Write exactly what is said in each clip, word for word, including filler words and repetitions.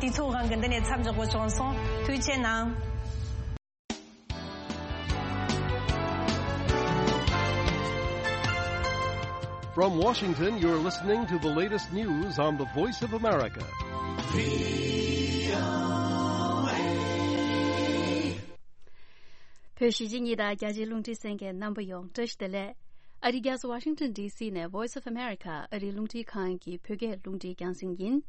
དུས་ཚོད་རང་གི་འདི་ནས་མཚམས་འཇོག་དགོས་བྱུང་སོང་། ཐུགས་རྗེ་གནང་། From Washington, you're listening to the latest news on the Voice of America. བོད་གཞིས་བྱེས་གཉིས་དང་རྒྱ་ཆེའི་རླུང་འཕྲིན་གསན་མཁན་རྣམ་པ་ཡོངས་བཀྲ་ཤིས་བདེ་ལེགས། ཨ་རིའི་རྒྱལ་ས་Washington D C ནས་Voice of America ཨ་རིའི་རླུང་འཕྲིན་ཁང་གི་བོད་སྐད་རླུང་འཕྲིན་རྒྱང་སྲིང་ཡིན།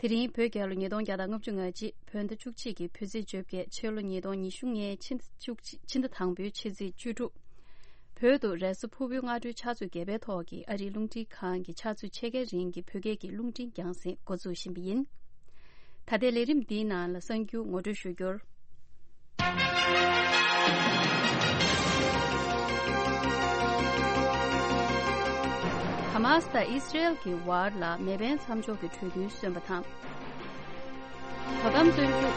དེ་རིང་བོད་རྒྱལ་ལོ་ཉིས་སྟོང་བརྒྱ་དང་ལྔ་བཅུ་ང་གཅིག་བོད་ཟླ་བཅུ་གཅིག་གི་བོད་ཚེས་བཅོ་བརྒྱད། ཕྱི་ལོ་ཉིས་སྟོང་ཉི་ཤུ་ལྔའི་ཕྱི་ཟླ་བཅུ་གཅིག་ཕྱི་ཟླ་དང་པོའི་ཕྱི་ཚེས་བཅུ་དྲུག་བོད་དུ་རེས་གཟའ་ཕུར་བུའི་སྔ་དྲོའི་ཆུ་ཚོད་བརྒྱད་པའི་ཐོག་གི་ཨ་རིའི་རླུང་འཕྲིན་ཁང་གི་ཕྱག་ཚོད་ཕྱེད་ཀའི་རིང་གི་བོད་སྐད་ཀྱི་རླུང་འཕྲིན་རྒྱང་སྲིང་འགོ་འཛུགས་བཞིན་པ་ཡིན། ད་ལྟའི་ལས་རིམ་འདིའི་ནང་ལ་གསར་འགྱུར་ངོ་སྤྲོད་ཞུ་རྒྱུར། ཧ་མ་སི་དང་ཨི་སི་རེལ་གྱི་བར་ལ་མེ་འཕེན་མཚམས་འཇོག་གི་གྲོས་མཐུན་སོན་པ་དང་། དོ་དམ་བཙོན་འཇུག་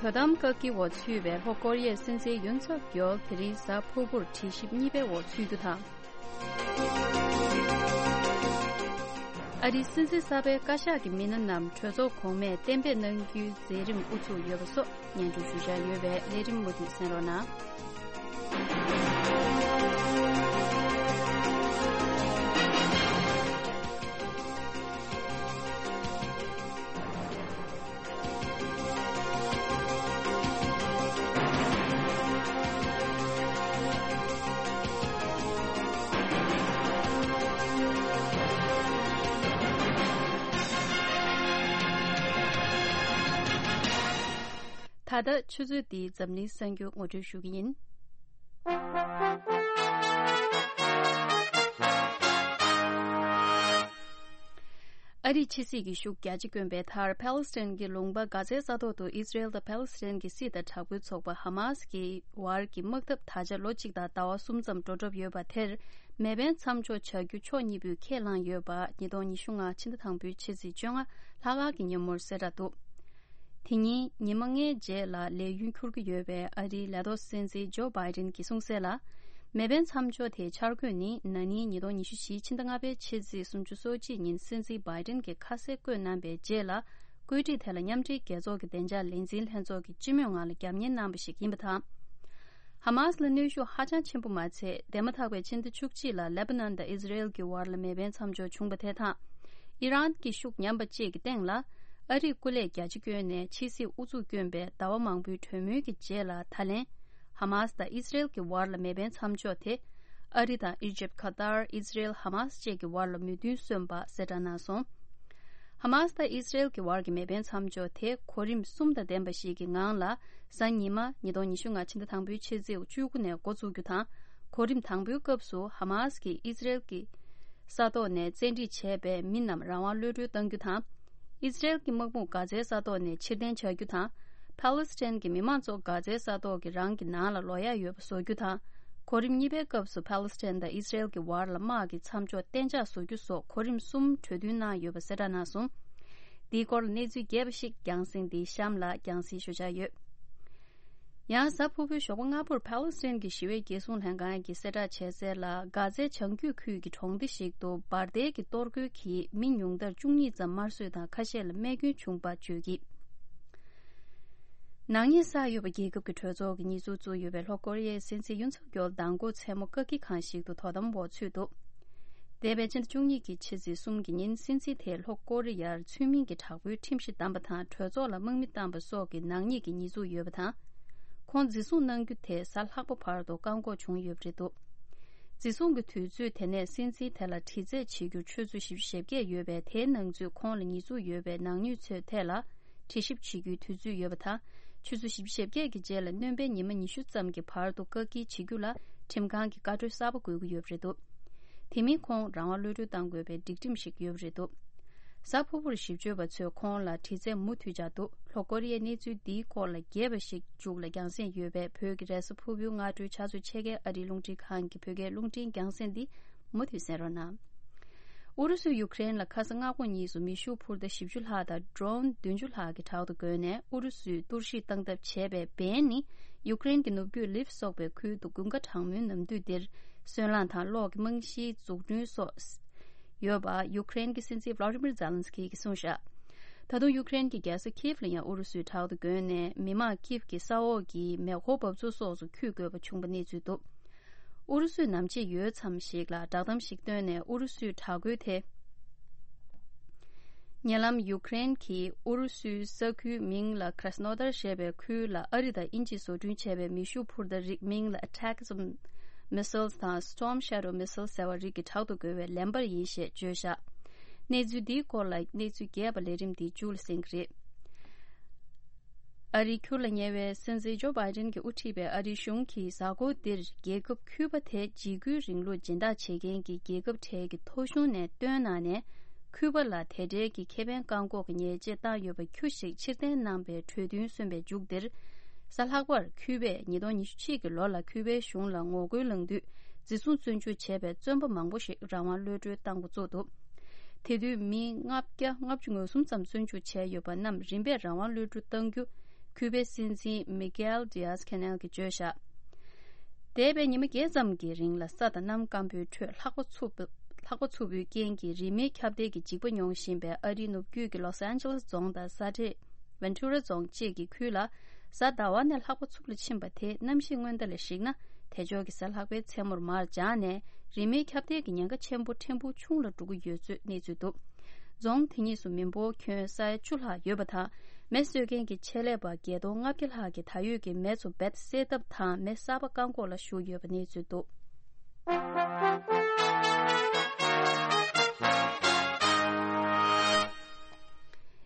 དོ་དམ་བཀག་སྐྱིལ་འོག་ཚུད་པའི་ལྷོ་ཀོ་རི་ཡའི་སྲིད་འཛིན་ཡུན་སུག་ཡོལ་དེ་རིང་གཟའ་ཕུར་བུར་དྲི་ཞིབ་གཉིས་པའི་འོག་ཚུད་རྒྱུ་དང་། ཨ་རིའི་སྲིད་འཛིན་གསར་པའི་བཀའ་ཤག་གི་མི་སྣ་རྣམས་གྲོས་ཚོགས་གོང་མས་གཏན་འབེབས་གནང་རྒྱུའི་མཛད་རིམ་དབུ་ཚུགས་ཡོད་པ་སོགས་སྙན་སྒྲོན་ཞུ་འཆར་ཡོད་པས་ལས་རིམ་མུ་མཐུད་གསན་རོགས་གནང་། ད་ལྟ་ཆུ་ཚོད་འདིའི་འཛམ་གླིང་གསར་འགྱུར་ངོ་སྤྲོད་ཞུ་གི་ཡིན། ཨ་རིས་ཕྱི་སྲིད་ཀྱི་ཤུགས་རྒྱ་ཆེ་བསྐྱོན་པའི་མཐར། ཕཱ་ལེ་སི་ཐན་གྱི་ལུང་པ་གྷ་ཛའི་ས་ཐོག་ཏུ་ཨི་སི་རེལ་དང་ཕཱ་ལེ་སི་ཐན་གྱི་སྲིད་དང་དྲག་པོའི་ཚོགས་པ་ཧ་མ་སི་ཀྱི་བར་གྱི་དམག་འཐབ་ད་ཆ་ལོ་གཅིག་དང་ཟླ་བ་གསུམ་ཙམ་འགྲོ་གྲབས་ཡོད་པ་དེར། མེ་འཕེན་མཚམས་འཇོག་བྱ་རྒྱུ་ཕྱོགས་གཉིས་པོས་ཁས་བླངས་ཡོད་པ། ཉིས་སྟོང་ཉི་ཤུ་ལྔ་ཕྱི་ཟླ་དང་པོའི་ཕྱི་ཚེས་བཅོ་ལྔ་ལྷག་དཀར་གྱི་ཉིན་མོར་གསལ་བསྒྲགས་འདུག་དེ་ཉིན་ཉི་མ་ལྔའི་རྗེས་ལ་ལས་ཡུན་འཁྱོལ་གྱི་ཡོད་པའི་ཨ་རིའི་ལས་ཐོག་སྲིད་འཛིན་ཇོ་བྷའི་ཏིན་གྱིས་གསུངས་གསལ་ལ། མེ་འཕེན་མཚམས་འཇོག་དེའི་འཆར་འགོད་ནི་ན་ནིང་ཉིས་སྟོང་ཉི་ཤུ་བཞི་ཕྱི་ཟླ་ལྔ་པའི་ཕྱི་ཚེས་སུམ་ཅུ་སོ་གཅིག་ཉིན་སྲིད་འཛིན་བྷའི་ཏིན་གྱིས་ཁ་གསལ་བཀོད་གནང་པའི་རྗེས་ལ། བཀོད་སྒྲིག་དེ་ལ་མཉམ་འབྲེལ་རྒྱལ་ཚོགས་ཀྱི་བདེ་འཇགས་ལས་འཛིན་ལྷན་ཚོགས་ཀྱིས་སྤྱི་མོས་ངང་ལ་རྒྱབ་གཉེར་གནང་པ་ཞིག་ཡིན་པ་དང་། ཧ་མ་སི་ལ་གནོན་ཤུགས་ཧ་ཅང་ཆེན་པོ་མ་ཚད། འདས་མ་ཐག་པའི་ཕྱི་ཟླ་བཅུ་གཅིག་ལ་ལེ་པ་ནན་དང་ཨི་ཟི་རེལ་གྱི་བར་ལ་མེ་འཕེན་མཚམས་འཇོག་བྱུང་བ་དེ་དང་། ཨི་རན་གྱི་ཤུགས་ཉམས་པ་བཅས་ཀྱི་སྟེང་ལ། ཨ་རིས་སྐུ་ལས་རྒྱ་ཆེ་བསྐྱོན་ནས་ཕྱི་སྲིད་ཨུ་ཚུགས་བསྐྱོན་པའི་ཟླ་བ་མང་པོའི་གྲོས་མོལ་གྱི་རྗེས་ལ་ད་ལན། ཧ་མ་སི་དང་ཨི་ཟི་རེལ་གྱི་བར་ལ་མེ་འཕེན་མཚམས་འཇོག་དེ། ཨ་རི་དང་ཨི་ཇིབ། ཁ་ཏར། ཨི་ཟི་རེལ། ཧ་མ་སི་བཅས་ཀྱི་བར་ལ་མོས་མཐུན་སོན་པ་གསལ་བསྒྲགས་གནང་སོང་། ཧ་མ་སི་དང་ཨི་ཟི་རེལ་གྱི་བར་གྱི་མེ་འཕེན་མཚམས་འཇོག་དེ་གོ་རིམ་གསུམ་དང་ལྡན་པ་ཞིག་གི་ངང་ལ། གཟའ་ཉི་མ་ཉིས་སྟོང་ཉི་ཤུ་ལྔ་ཕྱི་ཟླ་དང་པོའི་ཕྱི་ཚེས་བཅུ་དགུ་ནས་འགོ་འཛུགས་རྒྱུ་དང་། གོ་རིམ་དང་པོའི་སྐབས་སུ་ཧ་མ་སི་གིས་ཨི་ཟི་རེལ་གྱི་ས་ཐོག་ནས་བཙན་ཁྲིད་བྱས་པའི་མི་རྣམས་རང་དབང་གློད་གྲོལ་གཏང་རྒྱུ་དང་། ཨི་ཟི་རེལ་གྱི་དམག་དཔུང་གྷ་ཛའི་ས་ཐོག་ནས་ཕྱིར་འཐེན་བྱ་རྒྱུ་དང་། ཕཱ་ལེ་སི་ཐན་གྱི་མི་མང་ཚོ་གྷ་ཛའི་ས་ཐོག་གི་རང་གི་ནང་ལ་ལོག་ཡ་ཡོད་པ་བཟོ་རྒྱུ་དང་། གོ་རིམ་གཉིས་པའི་སྐབས་སུ་ཕཱ་ལེ་སི་ཐན་དང་ཨི་ཟི་རེལ་གྱི་བར་ལ་དམག་གི་མཚམས་འཇོག་གཏན་འཇགས་བཟོ་རྒྱུ་སོགས་གོ་རིམ་གསུམ་གྲོས་མཐུན་གནང་ཡོད་པ་གསལ་བསྒྲགས་གནང་སོང་། འདིའི་སྐོར་ལ་གནས་ཚུལ་རྒྱས་པ་ཞིག་རྒྱང་སྲིང་འདིའི་གཤམ་ལ་རྒྱང་སྲིང་ཞུ་འཆར་ཡོད། ཡང་གཟའ་ཕུར་བུའི་ཞོགས་པ་སྔ་པོར་ཕཱ་ལེ་སི་ཐན་གྱི་ཞི་བའི་རྒྱལ་སྲུང་ལྷན་ཁང་གིས་གསལ་བསྒྲགས་བྱས་གསལ་ལ། གྷ་ཛའི་བྱང་རྒྱུད་ཁུལ་གྱི་གྲོང་སྡེ་ཞིག་ཏུ་འབར་མདེལ་གྱི་གཏོར་རྒོལ་གྱིས་མི་ཉུང་མཐར་བཅུ་གཉིས་ཙམ་དམར་གསོད་དང་ཁ་ཤས་ལ་རྨས་སྐྱོན་བྱུང་བ་བརྗོད་ཀྱིས། ནག་ཉེས་བསགས་ཡོད་པ་རྒྱལ་ཁབ་ཀྱི་གྲོས་ཚོགས་ཀྱི་ཉེས་འཛུགས་བཙུགས་ཡོད་པའི་ལྷོ་ཀོ་རི་ཡའི་སྲིད་འཛིན་ཡུན་སུག་ཡོལ་མདང་དགོང་མཚན་མོ་བཀག་སྐྱིལ་ཁང་ཞིག་ཏུ་དོ་དམ་འོག་ཚུད་འདུག་འདས་པའི་ཕྱི་ཟླ་བཅུ་གཉིས་ཀྱི་ཕྱི་ཚེས་གསུམ་གྱི་ཉིན་སྲིད་འཛིན་དེས་ལྷོ་ཀོ་རི་ཡར་ཚུལ་མིན་གྱི་དྲག་པོའི་ཁྲིམས་གཞི་བསྡམས་པ་དང་གྲོས་ཚོགས་ལ་དམག་མི་བཏང་པ་སོགས་ཀྱི་ནག་ཉེས་ཀྱི་ཉེས་འཛུགས་ཡོད་པ་དང་། ཁོང་འཛིན་བཟུང་གནང་རྒྱུ་དེ་གཟའ་ལྷག་པ་བར་དུ་བཀག་འགོག་བྱུང་ཡོད་པ་རེད་འདུག་འཛིན་བཟུང་གི་དུས་ཚོད་དེ་ནས་སྲིད་འཛིན་དེ་ལ་དྲི་རྩད་བྱེད་རྒྱུར་ཆུ་ཚོད་བཞི་བཅུ་ཞེ་བརྒྱད་ཡོད་པས། དེའི་ནང་ཚུད་ཁོང་ལ་ཉེས་འཛུགས་ཡོད་པའི་ནག་ཉེས་ཚོའི་ཐད་ལ་དྲི་ཞིབ་བྱེད་རྒྱུའི་དུས་ཚོད་ཡོད་པ་དང་། ཆུ་ཚོད་བཞི་བཅུ་ཞེ་བརྒྱད་ཀྱི་རྗེས་ལ་སྣོན་པའི་ཉི་མ་ཉི་ཤུ་ཙམ་གྱི་བར་དུ་བཀག་སྐྱིལ་བྱེད་རྒྱུ་ལ་ཁྲིམས་ཁང་གིས་བཀའ་འཁྲོལ་གསར་པ་དགོས་ཀྱི་ཡོད་པ་རེད་འདུག་དེ་མིན་ཁོང་རང་དབང་གློད་གྲོལ་གཏང་དགོས་པའི་སྒྲིག་ཁྲིམས་ཤིག་ཡོད་པ་རེད་འདུག་གཟའ་ཕུར་བུར་ཞིབ་དཔྱོད་པ་ཚོས་ཁོང་ལ་དྲི་རྩད་མུ་མཐུད་བྱས་འདུག་ལྷོ་ཀོ་རི་ཡའི་གནས་ཚུལ་འདིའི་སྐོར་ལ་རྒྱས་པ་ཞིག་མཇུག་ལ་རྒྱང་སྲིང་ཡོད་པས། བོད་ཀྱི་རེས་གཟའ་ཕུར་བུའི་སྔ་དྲོའི་ཆུ་ཚོད་ཕྱེད་ཀའི་ཨ་རིའི་རླུང་འཕྲིན་ཁང་གི་བོད་སྐད་རླུང་འཕྲིན་རྒྱང་སྲིང་འདི་མུ་མཐུད་གསན་རོགས་གནང་། ཨུ་རུ་སུས་ཡུ་ཀེ་རེན་ལ་ཁ་སང་སྔ་དགོང་གཉིས་སུ་མེ་ཤུགས་འཕུར་མདའ་བཞི་བཅུ་ལྷག་དང་ཌོ་རོན་བདུན་ཅུ་ལྷག་གི་དྲག་ཏུ་བརྒོལ་ནས་ཨུ་རུ་སུས་གཏོར་བཤིག་བཏང་ཐབས་བྱས་པའི་འབེན་ནི་ཡུ་ཀེ་རེན་གྱི་ནུབ་རྒྱུད་ལིབ་སོགས་པའི་ཁུལ་དུ་དགུན་ཁ་གྲང་མོའི་ནམ་དུས་འདིར་སོལ་རླངས་དང་གློག་གི་རྨང་གཞིའི་འཛུགས་སྐྲུན་སོགས་ཡོད་པ་ཡུ་ཀེ་རེན་གྱི་སྲིད་འཛིན་ཝ་ལ་ཏི་མིར་ཛེ་ལན་སི་ཀི་གིས་གསུངས་བཞག་ད་དུང་ཡུ་ཀེ་རེན་གྱི་རྒྱལ་ས་ཁིབ་ལ་ཡང་ཨུ་རུ་སུས་དྲག་ཏུ་རྒོལ་ནས། མི་མང་ཁིབ་ཀྱི་ས་འོག་གི་མེ་འཁོར་འབབ་ཚུགས་སོགས་སུ་འཁྱུད་དགོས་པ་བྱུང་པ་གནས་ཚུལ་འདུག་ཨུ་རུ་སུས་ནམ་ཕྱེད་ཡོལ་མཚམས་ཤིག་ལ་བསྒྲགས་གཏམ་ཞིག་བཏོན་ནས། ཨུ་རུ་སུའི་དྲག་རྒོལ་དེ། ཉེ་ལམ་ཡུ་ཀེ་རེན་གྱིས་ཨུ་རུ་སུའི་ས་ཁུལ་མིང་ལ་Krasnodar་ཞེས་པའི་ཁུལ་ལ་ཨ་རི་དང་དབྱིན་ཇིས་བཟོ་སྐྲུན་བྱས་པའི་མེ་ཤུགས་འཕུར་མདའ་རིགས་མིང་ལ་Attackam missiles་དང་Storm Shadow missiles་ཟེར་བ་རིགས་ཀྱི་དྲག་ཏུ་རྒོལ་བའི་ལན་པར་ཡིན་ཞེས་བརྗོད་བཞག་གནས་ཚུལ་འདིའི་སྐོར་ལ་གནས་ཚུལ་རྒྱས་པ་ལས་རིམ་འདིའི་མཇུག་ལ་གསན་གྱི་རེད། ཨ་རིའི་ཁུར་ལ་ཉེ་བའི་སྲིད་འཛིན་ཇོ་བྷའི་ཏིན་གྱིས་དབུ་ཁྲིད་པའི་ཨ་རིའི་གཞུང་གིས་གཟའ་འཁོར་འདིར་རྒྱལ་ཁབ་ཁུ་པ་དེ་འཇིགས་སྐུལ་རིང་ལུགས་སྦྱིན་བདག་བྱེད་མཁན་གྱི་རྒྱལ་ཁབ་གྲས་ཀྱི་ཐོ་གཞུང་ནས་བཏོན་གནང་ནས། ཁུ་པ་ལ་དེ་འབྲེལ་གྱི་ཁེ་ཕན་བཀག་འགོག་གི་ཉེས་ཆད་བཏང་ཡོད་པ་ཁྱུ་ཞིག་ཕྱིར་འཐེན་གནང་པའི་གྲོས་མཐུན་སོན་པའི་མཇུག་འདིར། གཟའ་ལྷག་པར་ཁུ་པས་ཉིས་སྟོང་ཉི་ཤུ་གཅིག་གི་ལོ་ལ་ཁུ་པའི་གཞུང་ལ་ངོ་རྒོལ་ལངས་དུས་འཛིན་བཟུང་བཙོན་འཇུག་བྱས་པའི་བཙོན་པ་མང་པོ་ཞིག་རང་དབང་གློད་གྲོལ་བཏང་འགོ་བཙུགས་འདུག་དེ་དུས་མི་ལྔ་བརྒྱ་ལྔ་བཅུ་ང་གསུམ་ཙམ་བཙོན་འཇུག་བྱས་ཡོད་པ་རྣམས་རིམ་པས་རང་དབང་གློད་གྲོལ་གཏང་རྒྱུ་ཁུ་པའི་སྲིད་འཛིན་མི་གྷེལ་ཌི་ཡཱས་ཁེ་ནེལ་གྱིས་བརྗོད་བཞག་འདས་པའི་ཉི་མ་བརྒྱད་ཙམ་གྱི་རིང་ལ་ས་དང་གནམ་སྐམ་པོའི་ཁྲོད་ལྷགས་པ་འཚུབ་ལྷགས་པ་འཚུབ་པོའི་རྐྱེན་གྱིས་རི་མེའི་ཁྱབ་གདལ་གྱི་འཇིགས་པ་མྱོང་བཞིན་པའི་ཨ་རིའི་ནུབ་རྒྱུད་ཀྱི་ལོས་ཨན་ཇེ་ལེས་རྫོང་དང་ས་ཁྲའི་ཝན་ཐུ་ར་རྫོང་བཅས་ཀྱི་ཁུལ་ལ། གཟའ་ཟླ་བ་ནས་ལྷགས་པ་འཚུབ་ལ་ཕྱིན་པ་དེ་གནམ་གཤིས་སྔོན་བརྡ་ལ་གཞིགས་ན། དལ་འབྱོར་གྱི་གཟའ་ལྷག་པའི་མཚན་མོར་མར་འབྱར་ནས། རི་མེའི་ཁྱབ་གདལ་གྱི་ཉེན་ཁ་ཆེན་པོ་ཕྲན་བུ་ཆུང་ལ་འགྲོ་གི་ཡོད་ཚུལ་གནས་ཚུལ་འདུག་རྫོང་དེ་གཉིས་སུ་མི་འབོར་ཁྱོན་ས་ཡ་བཅུ་ལྷག་ཡོད་པ་དང་། མེ་གསོད་མཁན་གྱི་ཆེད་ལས་པ་བརྒྱད་སྟོང་ལྔ་བརྒྱ་ལྷག་གིས་ད་ཡོད་ཀྱི་མེ་ཚོ་རྦད་བསད་ཐབས་དང་། མེ་གསར་པ་བཀག་འགོག་ལ་ཞུགས་ཡོད་པ་གནས་ཚུལ་འདུག་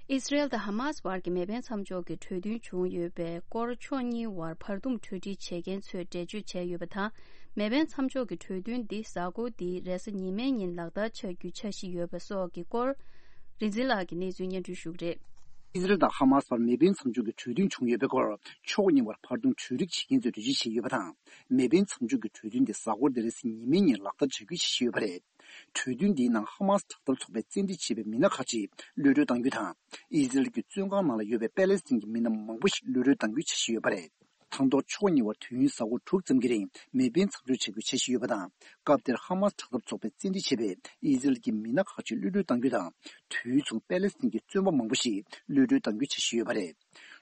ཨི་སི་རེལ་དང་ཧ་མཱ་སི་བར་གྱི་མེ་འཕེན་མཚམས་འཇོག་གི་གྲོས་མཐུན་བྱུང་ཡོད་པའི་སྐོར། ཕྱོགས་གཉིས་བར་བར་འདུམ་གྲོས་འགྲིག་བྱེད་མཁན་ཚོས་འགྲེལ་བརྗོད་བྱས་ཡོད་པ་དང་། མེ་འཕེན་མཚམས་འཇོག་གི་གྲོས་མཐུན་འདི་གཟའ་འཁོར་འདིའི་རེས་གཟའ་ཉི་མའི་ཉིན་ལག་བསྟར་བྱ་རྒྱུའི་འཆར་གཞི་ཡོད་པ་སོགས་ཀྱི་སྐོར། རིག་འཛིན་ལགས་ཀྱིས་གནས་ཚུལ་སྙན་སྒྲོན་ཞུ་གི་རེད། ཨི་སི་རེལ་དང་ཧ་མཱ་སི་བར་མེ་འཕེན་མཚམས་འཇོག་གི་གྲོས་མཐུན་བྱུང་ཡོད་པའི་སྐོར། ཕྱོགས་གཉིས་བར་བར་འདུམ་གྲོས་འགྲིག་བྱེད་མཁན་ཚོས་འགྲེལ་བརྗོད་བྱས་ཡོད་པ་དང་། མེ་འཕེན་མཚམས་འཇོག་གི་གྲོས་མཐུན་དེ་གཟའ་འཁོར་འདིར་རེས་གཟའ་ཉི་མའི་ཉིན་ལག་བསྟར་བྱ་རྒྱུའི་འཆར་གཞི་ཡོད་པ་རེད། གྲོས་མཐུན་འདིའི་ནང་ཧ་མཱ་སི་དྲག་འཐབ་ཚོགས་པས་བཙན་ཁྲིད་བྱས་པའི་མི་སྣ་ཁག་ཅིག་གློད་གྲོལ་གཏང་རྒྱུ་དང་། ཨི་སི་རེལ་གྱི་བཙོན་ཁང་ནང་ལ་ཡོད་པའི་པེ་ལེ་སི་ཐན་གྱི་མི་སྣ་མང་པོ་ཞིག་གློད་གྲོལ་གཏང་རྒྱུའི་འཆར་གཞི་ཡོད་པ་རེད། དང་ཐོག་ཕྱོགས་གཉིས་བར་དུས་ཡུན་གཟའ་འཁོར་དྲུག་ཙམ་གྱི་རིང་མེ་འཕེན་མཚམས་འཇོག་བྱ་རྒྱུའི་འཆར་གཞི་ཡོད་པ་དང་། སྐབས་དེར་ཧ་མཱ་སི་དྲག་འཐབ་ཚོགས་པས་བཙན་ཁྲིད་བྱས་པའི་ཨི་སི་རེལ་གྱི་མི་སྣ་ཁག་ཅིག་གློད་གྲོལ་གཏང་རྒྱུ་དང་། དུས་མཚུངས་པེ་ལེ་སི་ཐན་གྱི་བཙོན་པ་མང་པོ་ཞིག་གློད་གྲོལ་གཏང་རྒྱུའི་འཆར་གཞི་ཡོད་པ་རེད།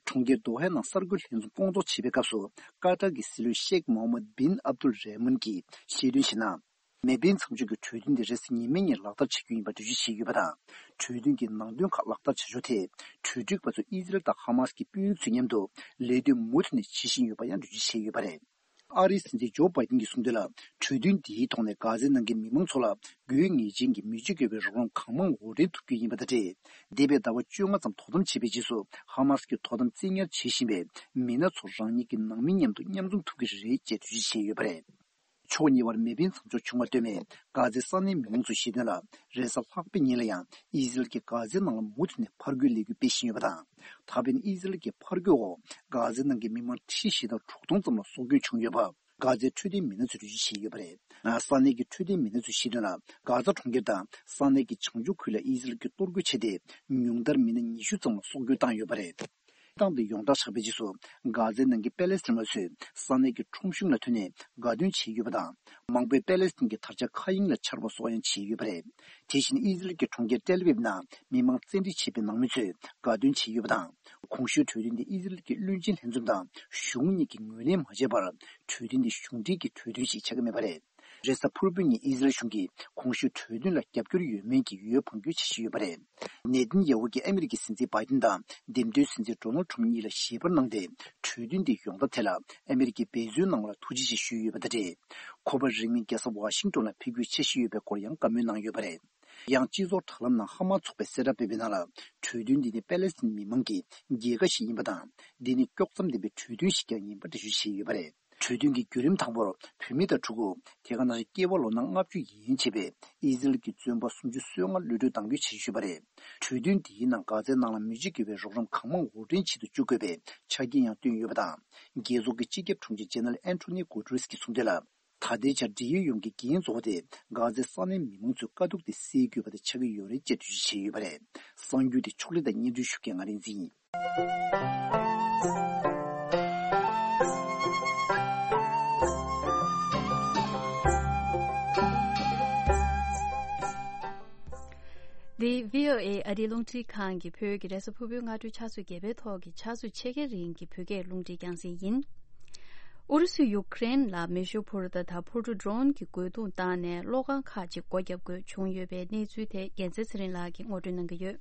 གྲོང་ཁྱེར་དོ་ཧའི་ནང་གསར་འགོད་ལྷན་འཛོམས་སྐོང་ཚོགས་བྱེད་པའི་སྐབས་སུ། ཀ་ཏར་གྱི་སྲིད་བློན་ཤེག་མོ་ཧམ་མད་བིན་ཨབ་དུལ་རེ་མོན་གྱིས་བཤད་དོན་བྱས་ན། མེ་འཕེན་མཚམས་འཇོག་གི་གྲོས་མཐུན་དེ་རེས་གཟའ་ཉི་མའི་ཉིན་ལག་བསྟར་བྱ་རྒྱུ་ཡིན་པ་འགྲེལ་བརྗོད་བྱས་ཡོད་པ་དང་། གྲོས་མཐུན་གྱི་ནང་དོན་ཁག་ལག་བསྟར་བྱ་ཕྱོགས་ཐད། གྲོས་སྒྲིག་པ་ཚོ་ཨི་ཟི་རལ་དང་ཧ་མཱ་སི་གི་དཔོན་རིགས་ཚོའི་མཉམ་དུ་ལས་དོན་མུ་མཐུད་ནས་བྱེད་བཞིན་ཡོད་པ་ཡང་འགྲེལ་བརྗོད་བྱས་ཡོད་པ་རེད། ཨ་རིའི་སྲིད་འཛིན་ཇོ་བྷའི་ཏིན་གྱིས་གསུངས་དོན་ལ། གྲོས་མཐུན་འདིའི་ཐོག་ནས་གྷ་ཛའི་ནང་གི་མི་མང་ཚོ་ལ་དགོས་ངེས་ཅན་གྱི་མི་སྤྱོད་དགོས་པའི་རོགས་རམ་གང་མང་འོར་འདྲེན་ཐུབ་རྒྱུ་ཡིན་པ་དང་འབྲེལ། འདས་པའི་ཟླ་བ་བཅོ་ལྔ་ཙམ་དོ་དམ་བྱས་པའི་རྗེས་སུ། ཧ་མཱ་སི་གི་དོ་དམ་བཙན་ཉར་བྱེད་བཞིན་པའི་མི་སྣ་ཚོ་རང་ཉིད་ཀྱི་ནང་མི་མཉམ་དུ་མཉམ་འཛོམས་ཐུབ་ཀྱི་རེད་ཅེས་འགྲེལ་བརྗོད་བྱས་ཡོད་པ་རེད། ཕྱོགས་གཉིས་བར་མེ་འཕེན་མཚམས་འཇོག་བྱུང་བ་ལྟོས་མེད། གྷ་ཛའི་ས་གནས་མི་མང་ཚོས་བཤད་དོན་ལ། རེས་གཟའ་ལྷག་པའི་ཉིན་ལ་ཡང་ཨི་ཟི་རལ་གྱིས་གྷ་ཛའི་ནང་ལ་མུ་མཐུད་ནས་ཕར་རྒོལ་ལས་འགུལ་སྤེལ་བཞིན་ཡོད་པ་དང་། ད་ཕན་ཨི་ཟི་རལ་གྱི་ཕར་རྒོལ་འོག་གྷ་ཛའི་ནང་གི་མི་མང་ཁྲི་བཞི་དང་དྲུག་སྟོང་ཙམ་ལ་སྲོག་སྐྱོན་བྱུང་ཡོད་པ། གྷ་ཛའི་འཕྲོད་བསྟེན་མི་སྣ་ཚོས་འགྲེལ་བརྗོད་བྱས་ཡོད་པ་རེད། ས་གནས་ཀྱི་འཕྲོད་བསྟེན་མི་སྣ་ཚོས་བཤད་དོན་ལ། གྷ་ཛ་གྲོང་ཁྱེར་དང་ས་གནས་ཀྱི་བྱང་ཕྱོགས་ཁུལ་ལ་ཨི་ཟི་རལ་གྱིས་གཏོར་རྒོལ་བྱས་ཏེ། ཉུང་མཐར་མི་སྣ་ཉི་ཤུ་ཙམ་ལ་སྲོག་སྐྱོན་བཏང་ཡོད་པ་རེད། སྟངས་དེ་ཡོངས་གྲགས་ཆགས་པའི་རྗེས་སུ། གྷ་ཛའི་ནང་གི་པེ་ལེ་སི་ཐན་པ་ཚོས་ས་གནས་ཀྱི་ཁྲོམ་གཞུང་ལ་ཐོན་ནས་དགའ་སྟོན་བྱས་ཡོད་པ་དང་། མང་པོས་པེ་ལེ་སི་ཐན་གྱི་དར་ཆ་མཁའ་དབྱིངས་ལ་འཕྱར་བ་སོགས་ཡང་བྱས་ཡོད་པ་རེད། དེ་བཞིན་ཨི་ཟི་རལ་གྱི་གྲོང་ཁྱེར་ཏེལ་ཨ་བིབ་ནང་མི་མང་བཙན་ཁྲིད་བྱས་པའི་ནང་མི་ཚོས་དགའ་སྟོན་བྱས་ཡོད་པ་དང་། གོང་ཞུས་གྲོས་མཐུན་དེ་ཨི་ཟི་རལ་གྱི་བློན་ཆེན་ལྷན་འཛོམས་དང་གཞུང་གཉིས་ཀྱིས་ངོས་ལེན་མ་བྱས་པར། གྲོས་མཐུན་དེ་གཞུང་འབྲེལ་གྱི་གྲོས་མཐུན་ཞིག་ཆགས་ཀྱི་མེད་པ་རེད། རེས་གཟའ་ཕུར་བུའི་ཉིན་ཨི་ཟི་རལ་གཞུང་གིས་གོང་ཞུས་གྲོས་མཐུན་ལ་རྒྱབ་སྐྱོར་ཡོད་མེད་ཀྱི་འོས་འཕང་རྒྱུའི་འཆར་གཞི་ཡོད་པ་རེད། ནེ་ཐན་ཡ་ཧུ་གིས་ཨ་མི་རི་ཀའི་སྲིད་འཛིན་བྷའི་ཏིན་དང་འདེམས་ཐོན་སྲིད་འཛིན་ཌོ་ནལ་ཁྲམ་གཉིས་ལ་ཞལ་པར་གནང་སྟེ། གྲོས་མཐུན་དེ་ཡོང་ཐབས་ཐད་ལ་ཨ་མི་རི་ཀའི་འབད་བརྩོན་གནང་བ་ལ་ཐུགས་རྗེ་ཆེ་ཞུས་ཡོད་པ་དང་འབྲེལ། ཁོ་པ་རིང་མིན་རྒྱལ་ས་ཝ་ཤིང་ཏོན་ལ་ཕེབས་རྒྱུའི་འཆར་གཞི་ཡོད་པའི་སྐོར་ཡང་བཀའ་མོལ་གནང་ཡོད་པ་རེད། ཡང་སྤྱི་ཚོགས་དྲ་ལམ་ནང་ཧ་མ་ཚོགས་པས་གསལ་བསྒྲགས་སྤེལ་བའི་ནང་ལ། གྲོས་མཐུན་འདི་ནི་པེ་ལེ་སི་ཐན་མི་མང་གི་རྒྱལ་ཁ་ཞིག་ཡིན་པ་དང་། འདི་ནི་དཀྱོག་མཚམས་ལྡན་པའི་གྲོས་མཐུན་ཞིག་ཀྱང་ཡིན་པ་འགྲེལ་བརྗོད་བྱས་ཡོད་པ་རེད། གྲོས་མཐུན་གྱི་བརྒྱུད་རིམ་དང་པོར་བུད་མེད་དང་ཕྲུ་གུ། དེ་ག་ནང་བཞིན་སྐྱེས་པ་ལོ་ན་ལྔ་བཅུ་ཡན་ཆད་པའི་ཨི་ཟི་རལ་གྱི་བཙོན་པ་སུམ་ཅུ་སོ་ལྔ་གློད་གྲོལ་གཏང་རྒྱུའི་འཆར་གཞི་ཡོད་པ་རེད། གྲོས་མཐུན་འདིའི་ནང་གྷ་ཛའི་ནང་ལ་མི་སྤྱོད་དགོས་པའི་རོགས་རམ་གང་མང་འོར་འདྲེན་བྱེད་དུ་བཅུག་དགོས་པའི་ཆ་རྐྱེན་ཡང་བཏོན་ཡོད་པ་དང་། རྒྱལ་ཚོགས་ཀྱི་སྤྱི་ཁྱབ་དྲུང་ཆེ་ཇེ་ནེ་རལ་ཨན་ཐོ་ནི་གུ་ཏེ་རེས་ཀྱིས་གསུངས་དོན་ལ། ད་ལྟའི་ཆར་འབྲེལ་ཡོད་ཡོངས་ཀྱི་འགན་གཙོ་བོ་དེ་གྷ་ཛའི་ས་གནས་མི་མང་ཚོའི་དཀའ་སྡུག་དེ་སེལ་དགོས་པ་དེ་ཆགས་ཀྱི་ཡོད་རེད་ཅེས་འགྲེལ་བརྗོད་བྱས་ཡོད་པ་རེད། གསར་འགྱུར་དེ་ཕྱོགས་སྒྲིག་དང་སྙན་སྒྲོན་ཞུ་མཁན་ང་རིག་འཛིན་ཡིན། འདི་བྷི་ཨོ་ཨེ་ཨ་རིའི་རླུང་འཕྲིན་ཁང་གི་བོད་ཀྱི་རེས་གཟའ་ཕུར་བུའི་སྔ་དྲོའི་ཆུ་ཚོད་བརྒྱད་པའི་ཐོག་གི་ཆུ་ཚོད་ཕྱེད་ཀའི་རིང་གི་བོད་སྐད་རླུང་འཕྲིན་རྒྱང་སྲིང་ཡིན། ཨུ་རུ་སུས་ཡུ་ཀེ་རེན་ལ་མེ་ཤུགས་འཕུར་མདའ་དང་འཕུར་གྲུ་ཌོ་རོན་གྱི་རྒོལ་རྡུང་བཏང་ནས་གློག་ཁང་ཁག་ཅིག་སྒོ་བརྒྱབ་དགོས་བྱུང་ཡོད་པའི་གནས་ཚུལ་དེ་རྒྱལ་མཚན་ཚེ་རིང་ལགས་ཀྱིས་ངོ་སྤྲོད་གནང་གི་ཡོད།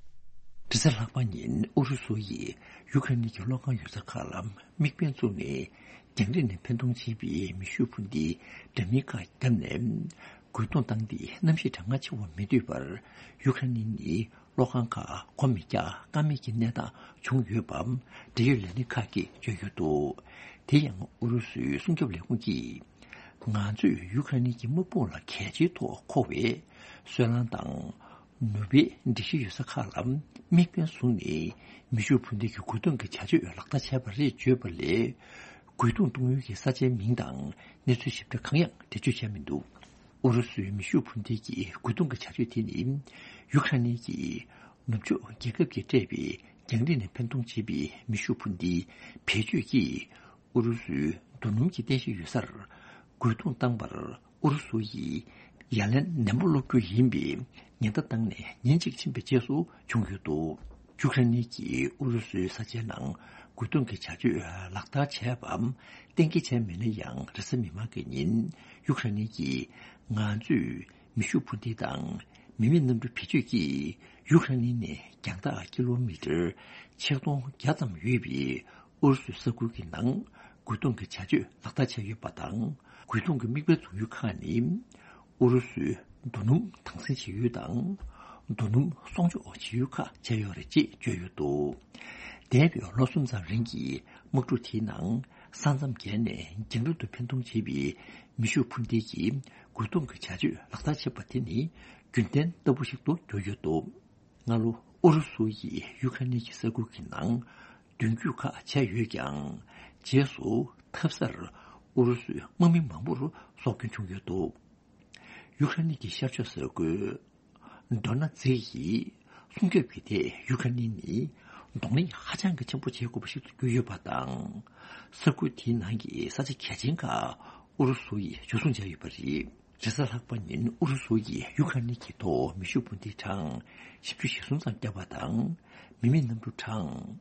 རེས་གཟའ་ལྷག་པ་ཉིན་ཨུ་རུ་སུ་ཡིས་ཡུ་ཀེ་རེན་གྱི་གློག་ཁང་ཡོད་ས་ཁག་ལ་དམིགས་འབེན་བཙུགས་ནས། རྒྱང་རིང་ནས་འཕེན་གཏོང་བྱེད་པའི་མེ་ཤུགས་འཕུར་མདའི་འདྲ་མིན་ཁག་བརྒྱབ་ནས། རྒོལ་རྡུང་བཏང་སྟེ་གནམ་གཤིས་གྲང་ངར་ཆེ་བ་མི་འདོད་པར། ཡུ་ཀེ་རེན་ནི་གློག་ཁང་ཁག་སྒོ་མི་རྒྱག་ཀ་མེད་ཀྱི་གནས་སྟངས་བྱུང་ཡོད་པ། འབྲེལ་ཡོད་ལས་སྣེ་ཁག་གིས་བརྗོད་ཡོད་འདུག་དེ་ཡང་ཨུ་རུ་སུའི་སྲུང་སྐྱོབ་ལས་ཁུངས་ཀྱིས། ང་ཚོས་ཡུ་ཀེ་རེན་གྱི་དམག་དཔུང་ལ་གལ་ཆེའི་ཐོག་མཁོ་བའི་སོལ་རླངས་དང་། ནུས་པའི་སྒྲིག་གཞི་ཡོད་ས་ཁག་ལ་དམིགས་འབེན་བཟུང་ནས། མེ་ཤུགས་འཕུར་མདེལ་གྱི་རྒོལ་རྡུང་གི་བྱ་སྤྱོད་ལག་བསྟར་བྱས་པ་རེད་བརྗོད་པ་ལས། རྒོལ་རྡུང་གཏོང་ཡུལ་གྱི་ས་ཆའི་མིང་དང་གནས་ཚུལ་ཞིབ་ཕྲ་གང་ཡང་འགྲེལ་བརྗོད་བྱས་མི་འདུག་ཨུ་རུ་སུའི་མེ་ཤུགས་འཕུར་མདེལ་གྱི་རྒོལ་རྡུང་གི་བྱ་སྤྱོད་དེ་ནི། ཡུ་ཁ་ནི་གྱི་ནུབ་ཕྱོགས་རྒྱལ་ཁབ་ཀྱིས་སྤྲད་པའི་རྒྱང་རིང་ནས་འཕེན་གཏོང་བྱེད་པའི་མེ་ཤུགས་འཕུར་མདེལ་བེད་སྤྱོད་ཀྱིས། ཨུ་རུ་སུའི་རྡོ་སྣུམ་གྱི་རྟེན་གཞི་ཡོད་སར་རྒོལ་རྡུང་བཏང་བར། ཨུ་རུ་སུ་ཡིས་ཡ་ལན་ནན་པོ་སློག་རྒྱུ་ཡིན་པའི་ཉེན་བརྡ་བཏང་ནས་ཉིན་གཅིག་ཕྱིན་པའི་རྗེས་སུ་བྱུང་ཡོད་འདུག་ཡུ་ཁ་ནི་གིས་ཨུ་རུ་སུའི་ས་ཆའི་ནང་རྒོལ་རྡུང་གི་བྱ་སྤྱོད་ལག་བསྟར་བྱས་པའམ་གཏན་འཁེལ་བྱས་མེད་ན་ཡང་། རེས་གཟའ་མིག་དམར་གྱི་ཉིན་ཡུ་ཁ་ནི་གིས་ང་ཚོས་མེ་ཤུགས་འཕུར་མདེལ་དང་མི་མེད་གནམ་གྲུ་བེད་སྤྱོད་ཀྱིས་ཡུ་ཁ་ནི་ནས་རྒྱང་ཐག་ཀི་ལོ་མི་ཊར་ཆིག་སྟོང་བརྒྱ་ཙམ་ཡོད་པའི་ཨུ་རུ་སུའི་ས་ཁུལ་གྱི་ནང་རྒོལ་རྡུང་གི་བྱ་སྤྱོད་ལག་བསྟར་བྱས་ཡོད་པ་དང་། རྒོལ་རྡུང་གི་དམིགས་འབེན་བཟུང་ཡུལ་ཁག་ནི། ཨུ་རུ་སུའི་རྡོ་སྣུམ་དྭངས་སིལ་བྱེད་ཡུལ་དང་། རྡོ་སྣུམ་སྲུང་སྐྱོབ་བྱེད་ཡུལ་ཁག་བྱས་ཡོད་རེད་ཅེས་བརྗོད་ཡོད་འདུག་འདས་པའི་ལོ་གསུམ་ཙམ་རིང་གི་དམག་འཁྲུག་དེའི་ནང་། ས་མཚམས་བརྒལ་ནས་རྒྱང་རིང་དུ་འཕེན་གཏོང་བྱེད་པའི་མེ་ཤུགས་འཕུར་མདེལ་གྱི་རྒོལ་རྡུང་གི་བྱ་སྤྱོད་ལག་བསྟར་བྱས་པ་དེ་ནི་རྒྱུན་ལྡན་ལྟ་བུ་ཞིག་ཏུ་གྱུར་ཡོད་འདུག་སྔ་ལོ་ཨུ་རུ་སུ་ཡིས་ཡུ་ཁ་ནི་གྱི་ས་ཁུལ་གྱི་ནང་མདུན་སྐྱོད་ཁག་བྱས་ཡོད་ཀྱང་། རྗེས་སུ་འཐབ་སར་ཨུ་རུ་སུའི་དམག་མི་མང་པོར་སྲོག་སྐྱོན་བྱུང་ཡོད་འདུག་ཡུ་ཁ་ནི་གྱི་ཤར་ཕྱོགས་ས་ཁུལ་ཌོ་ན་ཛི་ཡི་སྲུང་སྐྱོབ་ཀྱི་ཐད་ཡུ་ཁ་ནི་ནི་གདོང་ལེན་ཧ་ཅང་གི་ཆེན་པོ་བྱེད་དགོས་པ་ཞིག་ཏུ་གྱུར་ཡོད་པ་དང་། ས་ཁུལ་དེའི་ནང་གི་ས་ཆ་གལ་ཆེན་ཁག་ཨུ་རུ་སུ་ཡིས་འཇུ་བཟུང་བྱས་ཡོད་པ་རེད། རེས་གཟའ་ལྷག་པ་ཉིན་ཨུ་རུ་སུ་ཡིས་ཡུ་ཁ་ནི་གྱི་ཐོག་མེ་ཤུགས་འཕུར་མདེལ་གྲངས་བཞི་བཅུ་ཞེ་གསུམ་ཙམ་བརྒྱབ་པ་དང་། མི་མེད་གནམ་གྲུ་གྲངས་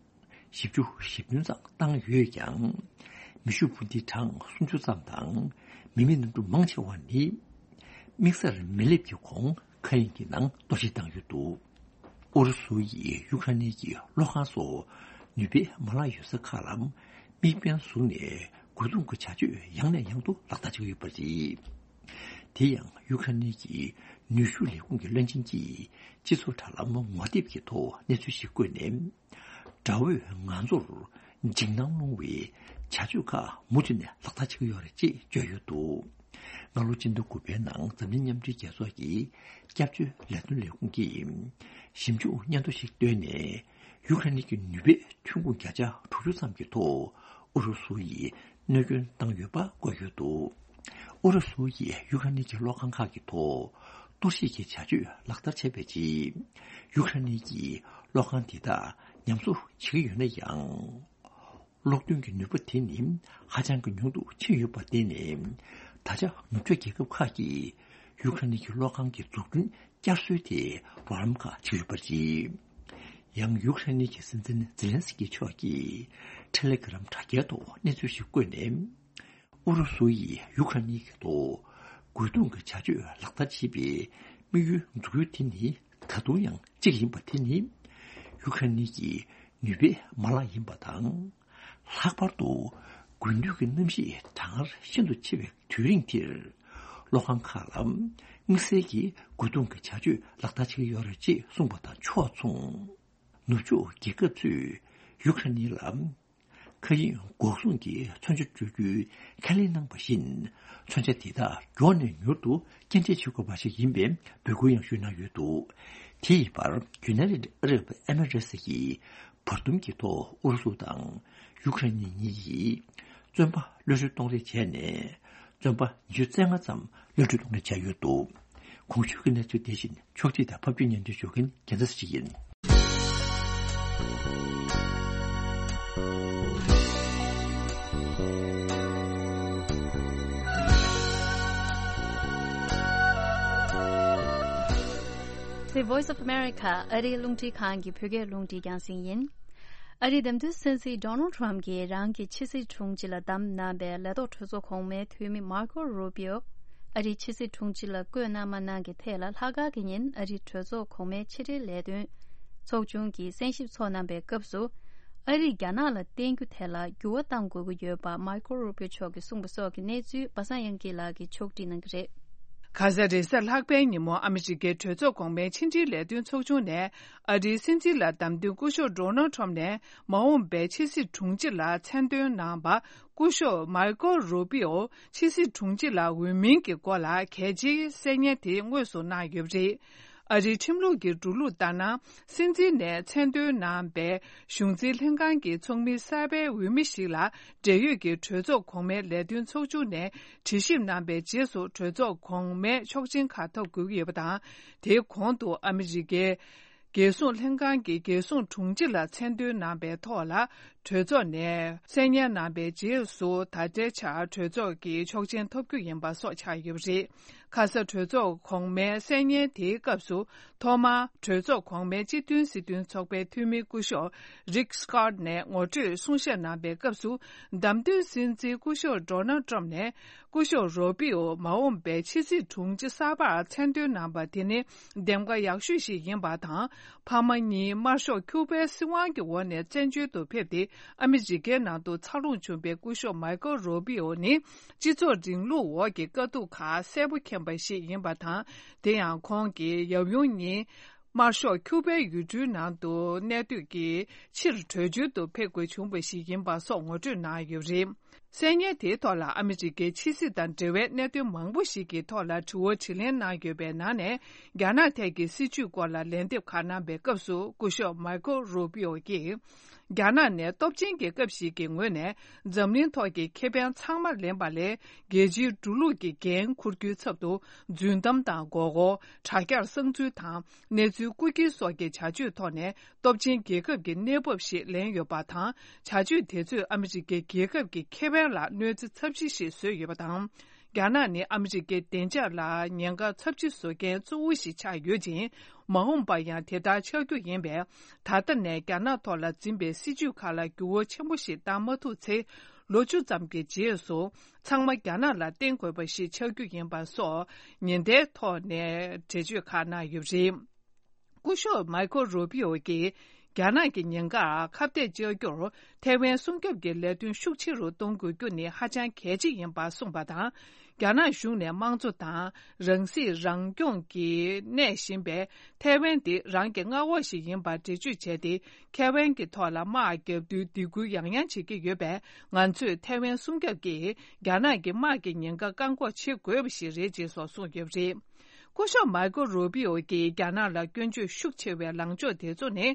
བཞི་བཅུ་ཞེ་བདུན་ཙམ་བཏང་ཡོད་ཀྱང་། མེ་ཤུགས་འཕུར་མདེལ་གྲངས་སུམ་ཅུ་ཙམ་དང་མི་མེད་གནམ་གྲུ་མང་ཆེ་བ་ནི་དམིགས་སར་མི་སླེབས་ཀྱི་གོང་མཁའ་དབྱིངས་ཀྱི་ནང་གཏོར་བཤིག་བཏང་ཡོད་འདུག་ཨུ་རུ་སུ་ཡིས་ཡུ་ཁ་ནི་གྱི་གློག་ཁང་སོགས་ནུས་པའི་མ་ལག་ཡོད་ས་ཁག་ལ་དམིགས་འབེན་བཟུང་ནས་རྒོལ་རྡུང་གི་བྱ་སྤྱོད་ཡང་ནས་ཡང་དུ་ལག་བསྟར་བྱེད་ཀྱི་ཡོད་པ་རེད། དེ་ཡང་ཡུ་ཁ་ནི་གྱི་ནུས་ཤུགས་ལས་ཁུངས་ཀྱི་བློན་ཆེན་གྱིས་སྤྱི་ཚོགས་དྲ་ལམ་ངོ་དེབ་ཀྱི་ཐོག་གནས་ཚུལ་ཞིག་བཀོད་ནས། དགྲ་བོས་ང་ཚོར་འཇིགས་སྣང་སློང་བའི་བྱ་སྤྱོད་ཁག་མུ་མཐུད་ནས་ལག་བསྟར་བྱེད་ཀྱི་ཡོད་རེད་ཅེས་བརྗོད་ཡོད་འདུག་སྔ་ལོ་སྤྱི་ཟླ་དགུ་པའི་ནང་འཛམ་གླིང་མཉམ་འབྲེལ་རྒྱལ་ཚོགས་ཀྱི་སྐྱབས་བཅོལ་ལས་དོན་ལས་ཁུངས་ཀྱིས་ཞིབ་འཇུག་སྙན་ཐོ་ཞིག་བཏོན་ནས། ཡུ་ཁ་ནི་གྱི་ནུས་པའི་ཐོན་ཁུངས་བརྒྱ་ཆ་དྲུག་ཅུ་ཙམ་གྱི་ཐོག་ཨུ་རུ་སུ་ཡིས་གནོད་སྐྱོན་བཏང་ཡོད་པ་བཀོད་ཡོད་འདུག་ཨུ་རུ་སུ་ཡིས་ཡུ་ཁ་ནི་གྱི་གློག་ཁང་ཁག་གི་ཐོག་གཏོར་བཤིག་གི་བྱ་སྤྱོད་ལག་བསྟར་བྱས་པའི་རྗེས། ཡུ་ཁ་ནི་གྱི་གློག་ཁང་དེ་དག་ཉམས་གསོ་བྱེད་ཀྱི་ཡོད་ན་ཡང་། གློག་འདོན་གྱི་ནུས་པ་དེ་ནི་ཧ་ཅང་གི་ཉུང་དུ་ཕྱིན་ཡོད་པར་བརྟེན་ནས། ད་ཆ་ནུབ་ཕྱོགས་རྒྱལ་ཁབ་ཁག་གིས་ཡུ་ཁ་ནི་གྱི་གློག་ཁང་གི་འཛུགས་སྐྲུན་བསྐྱར་གསོའི་ཐད་རོགས་རམ་ཁག་བྱེད་ཀྱི་ཡོད་པ་རེད། ཡང་ཡུ་ཁ་ནི་གྱི་སྲིད་འཛིན་ཛེ་ལན་སི་ཀི་མཆོག་གིས་ཊེ་ལེ་གྷི་རམ་དྲ་རྒྱའི་ཐོག་གནས་ཚུལ་ཞིག་བཀོད་ནས། ཨུ་རུ་སུ་ཡིས་ཡུ་ཁ་ནི་གི་ཐོག་རྒོལ་རྡུང་གི་བྱ་སྤྱོད་ལག་བསྟར་བྱེད་པའི་དམིགས་ཡུལ་འཛུགས་ཡུལ་དེ་ནི་ད་དུང་ཡང་གཅིག་ཡིན་པ་དེ་ནི། ཡུ་ཁ་ནི་གི་ནུས་པའི་མ་ལག་ཡིན་པ་དང་། ལྷག་པར་དུ་དགུན་དུས་ཀྱི་གནམ་གཤིས་གྲང་ངར་ཤིན་ཏུ་ཆེ་བའི་དུས་རིང་འདིར། གློག་ཁང་ཁག་ལ་དམིགས་བསལ་གྱི་རྒོལ་རྡུང་གི་བྱ་སྤྱོད་ལག་བསྟར་བྱེད་ཀྱི་ཡོད་རེད་ཅེས་གསུངས་པ་དང་ཕྱོགས་མཚུངས། ནུབ་ཕྱོགས་རྒྱལ་ཁབ་ཚོས་ཡུ་ཁ་ནི་ལ་མཁའ་དབྱིངས་འགོག་སྲུང་གི་མཚོན་ཆ་སྤྲོད་རྒྱུའི་ཁས་ལེན་གནང་བ་བཞིན། མཚོན་ཆ་དེ་དག་མགྱོགས་ནས་མྱུར་དུ་སྐྱེལ་འདྲེན་བྱེད་དགོས་པ་ཞིག་ཡིན་པའི་འབོད་སྐུལ་ཡང་ཞུས་གནང་ཡོད་འདུག་དེ་ཡི་བར་ཡུ་ནའི་ཊེཌ་ཨ་རབ་ཨེ་མི་རེ་ཊི་ཡིས་བར་འདུམ་གྱི་ཐོག་ཨུ་རུ་སུ་དང་ཡུ་ཁ་རེ་ནི་གཉིས་ཀྱིས་བཙོན་པ་གློད་གྲོལ་གཏོང་རེས་བྱས་ནས། བཙོན་པ་ཉི་ཤུ་རྩ་ལྔ་ཙམ་གློད་གྲོལ་གཏོང་རེས་བྱས་ཡོད་འདུག་གོང་ཞུས་ཀྱི་གནས་ཚུལ་དེ་བཞིན་ཕྱོགས་སྒྲིག་དང་ཕབ་སྒྱུར་སྙན་སྒྲོན་ཞུ་མཁན་རྒྱལ་མཚན་ཞིག་ཡིན། The Voice of America ཨ་རིའི་རླུང་འཕྲིན་ཁང་གི་བོད་སྐད་རླུང་འཕྲིན་རྒྱང་སྲིང་ཡིན། ཨ་རིའི་བདམས་ཐོན་སྲིད་འཛིན་Donald Trump གྱིས་རང་གི་ཕྱི་སྲིད་དྲུང་ཆེ་ལ་བདམས་གནང་བའི་ལས་ཐོག་གྲོས་ཚོགས་གོང་མའི་འཐུས་མི་Marco Rubio ཨ་རིའི་ཕྱི་སྲིད་དྲུང་ཆེ་ལ་བསྐོས་གནང་མ་གནང་གི་ཐད་ལ། ལྷག་དཀར་གྱི་ཉིན་ཨ་རིའི་གྲོས་ཚོགས་གོང་མའི་ཕྱི་འབྲེལ་ལས་དོན་ཚོགས་ཆུང་གིས་གསན་ཞིབ་ཚོགས་གནང་པའི་སྐབས་སུ། ཨ་རིས་རྒྱ་ནག་ལ་བརྟེན་རྒྱུ་དེ་ལ་འགྱུར་བ་གཏང་དགོས་ཀྱི་ཡོད་པ་Marco Rubio མཆོག་གིས་གསུངས་པ་སོགས་ཀྱི་གནས་ཚུལ་པ་སངས་དབྱངས་སྐྱིད་ལགས་ཀྱིས་ཕྱོགས་སྒྲིག་གནང་གི་རེད། ཁ་ས་རེས་གཟའ་ལྷག་པའི་ཉིན་མོ་ཨ་མི་རི་ཀའི་གྲོས་ཚོགས་གོང་མའི་ཕྱི་འབྲེལ་ལས་དོན་ཚོགས་ཆུང་ནས། ཨ་རིའི་སྲིད་འཛིན་ལ་བདམས་ཐོན་སྐུ་ཞབས་Donald Trump ནས་མ་འོངས་པའི་ཕྱི་སྲིད་དྲུང་ཆེ་ལ་མཚན་འདོན་གནང་བ། སྐུ་ཞབས་Marco Rubio ཕྱི་སྲིད་དྲུང་ཆེ་ལ་འོས་མིན་གྱི་སྐོར་ལ་གལ་ཆེའི་གསལ་བསྙན་དེ་དངོས་སུ་གནང་ཡོད་པ་རེད། ཨ་རིའི་ཁྲིམས་ལུགས་ཀྱི་འགྲོ་ལུགས་ལྟར་ན། སྲིད་འཛིན་ནས་མཚན་འདོན་གནང་པའི་གཞུང་འཛིན་ལྷན་ཁང་གི་ཚོགས་མི་གསར་པའི་འོས་མི་ཞིག་ལ། འབྲེལ་ཡོད་ཀྱི་གྲོས་ཚོགས་གོང་མའི་ལས་དོན་ཚོགས་ཆུང་ནས་དྲི་ཞིབ་གནང་པའི་རྗེས་སུ། གྲོས་ཚོགས་གོང་མའི་ཆོག་མཆན་ཁག་ཐོབ་དགོས་ཀྱི་ཡོད་པ་དང་། དེའི་གོང་དུ་ཨ་མི་རི་ཀའི་རྒྱལ་སྲུང་ལྷན་ཁང་གི་རྒྱལ་སྲུང་དྲུང་ཆེ་ལ་མཚན་འདོན་གནང་པའི་ཐོག་ལ། གྲོས་ཚོགས་ནས་གསལ་བསྙན་གནང་པའི་རྗེས་སུ། ད་ལྟའི་ཆར་གྲོས་ཚོགས་ཀྱི་ཆོག་མཆན་ཐོབ་རྒྱུ་ཡིན་པ་སོགས་ཆགས་ཡོད་པ་རེད། ཁ་ས་གྲོས་ཚོགས་གོང་མའི་གསལ་བསྙན་དེའི་སྐབས་སུ། ཐོག་མར་གྲོས་ཚོགས་གོང་མའི་སྤྱི་མཐུན་སྲིད་དོན་ཚོགས་པའི་འཐུས་མི་སྐུ་ཞབས་Rick Scott ནས་ངོ་སྤྲོད་གསུང་བཤད་གནང་པའི་སྐབས་སུ། བདམས་ཐོན་སྲིད་འཛིན་སྐུ་ཞབས་Donald Trump ནས། སྐུ་ཞབས་Rubio མ་འོངས་པའི་ཕྱི་སྲིད་དྲུང་ཆེ་གསར་པར་མཚན་འདོན་གནང་པ་དེ་ནི་འདེམས་ཀ་ཡག་ཤོས་ཤིག་ཡིན་པ་དང་། ཕ་མ་གཉིས་དམར་ཤོག་ཁྱུ་པའི་སྲིད་དབང་གི་འོག་ནས་བཙན་བྱོལ་དུ་ཕེབས་ཏེ། ཨ་མི་རི་ཀའི་ནང་དུ་འཚར་ལོངས་བྱུང་པའི་སྐུ་ཞབས་Marco Rubio ནི། སྤྱི་ཚོགས་རིང་ལུགས་འོག་གི་དཀའ་སྡུག་ཁག་གསལ་པོ་མཁྱེན་པ་ཞིག་ཡིན་པ་དང་། དེ་ཡང་ཁོང་གིས་ཡབ་ཡུམ་གཉིས། དམར་ཤོག་ཁྱུ་པའི་ཡུལ་གྲུའི་ནང་དུ་གནས་སྡོད་ཀྱི་ཕྱིར། བྲོས་བྱོལ་དུ་ཕེབས་དགོས་བྱུང་བ་ཞིག་ཡིན་པ་སོགས་ངོ་སྤྲོད་གནང་ཡོད་པ་རེད། གསལ་བསྙན་དེའི་ཐོག་ལ་ཨ་མི་རི་ཀའི་ཕྱི་སྲིད་དང་འབྲེལ་བའི་གནད་དོན་མང་པོ་ཞིག་གི་ཐོག་ལ་དྲི་བ་དྲིས་ལན་གནང་ཡོད་པའི་ནང་ནས། རྒྱ་ནག་ཐད་ཀྱི་སྲིད་བྱུས་སྐོར་ལ་ལན་འདེབས་ཁག་གནང་པའི་སྐབས་སུ། སྐུ་ཞབས་Marco Rubio གིས། རྒྱ་ནག་ནས་སྟོབས་ཆེན་གྱི་སྐབས་ཤིག་གི་ངོས་ནས་འཛམ་གླིང་ཐོག་གི་ཁེ་ཕན་ཚང་མ་ལེན་པ་ལས། རྒྱལ་སྤྱིའི་འགྲོ་ལུགས་ཀྱི་འགན་འཁུར་རྒྱུའི་ཚབ་ཏུ། རྫུན་གཏམ་དང་མགོ་སྐོར། དྲ་རྒྱར་གསང་འཛུལ་དང་། གནས་ཚུལ་རྐུ་འཁྱེར་སོགས་ཀྱི་བྱ་སྤྱོད་ཐོག་ནས་སྟོབས་ཆེན་རྒྱལ་ཁབ་ཀྱི་གནས་བབ་ཞིག་ལེན་ཡོད་པ་དང་། བྱ་སྤྱོད་དེ་ཚོས་ཨ་མི་རི་ཀའི་རྒྱལ་ཁབ་ཀྱི་ཁེ་ཕན་ལ་གནོད་འཚེ་ཚབས་ཆེ་ཞིག་བཟོས་ཡོད་པ་དང་། རྒྱ་ནག་ནི་ཨ་མི་རི་ཀའི་བདེ་འཇགས་ལ་ཉེན་ཁ་ཚབས་ཆེ་བཟོ་མཁན་གཙོ་བོ་ཞིག་ཆགས་ཡོད་ཅིང་། མ་འོངས་པར་ཡང་དེ་ལྟར་ཆགས་རྒྱུ་ཡིན་པས། ད་ལྟ་ནས་རྒྱ་ནག་ཐོག་ལ་འཛིན་པའི་སྲིད་བྱུས་ཁག་ལ་འགྱུར་བ་ཆེན་པོ་ཞིག་བཏང་མ་ཐུབ་ཚེ། ལོ་བཅུ་ཙམ་གྱི་རྗེས་སུ། ཚང་མ་རྒྱ་ནག་ལ་བརྟེན་དགོས་པ་ཞིག་ཆགས་རྒྱུ་ཡིན་པ་སོགས་ཉེན་བརྡའི་ཐོག་ནས་འགྲེལ་བརྗོད་ཁག་གནང་ཡོད་པ་རེད། སྐུ་ཞབས་Marco Rubio གིས་རྒྱ་ནག་གི་ཉེན་ཁར་ཁ་གཏད་གཅོག་རྒྱུར་ཐའེ་ཝན་སྲུང་སྐྱོབ་ཀྱི་ལས་དོན་ཤུགས་ཆེ་རུ་གཏོང་དགོས་རྒྱུ་ནི་ཧ་ཅང་གལ་ཆེ་ཡིན་པ་གསུངས་པ་དང་། རྒྱ་ནག་གཞུང་ནས་དམངས་གཙོ་དང་རང་སྲིད་རང་སྐྱོང་གིས་གནས་བཞིན་པའི་ཐའེ་ཝན་དེ་རང་གི་མངའ་འོག་ཞིག་ཡིན་པར་འགྲེལ་བརྗོད་བྱས་ཏེ། ཐའེ་ཝན་གྱི་ཐོག་ལ་དམག་བརྒྱབ་དུས་སྡིགས་སྐུལ་ཡང་ཡང་བྱེད་ཀྱི་ཡོད་པས། ང་ཚོས་ཐའེ་ཝན་སྲུང་སྐྱོབ་ཀྱིས་རྒྱ་ནག་གི་དམག་གི་ཉེན་ཁ་བཀག་འགོག་བྱེད་དགོས་པ་ཞིག་རེད་ཅེས་སོགས་གསུངས་ཡོད་པ་རེད། སྐུ་ཞབས་Marco Rubio གིས་རྒྱ་ནག་ལ་སྐྱོན་བརྗོད་ཤུགས་ཆེ་བའི་ལངས་ཕྱོགས་དེ་ཚོ་ནི།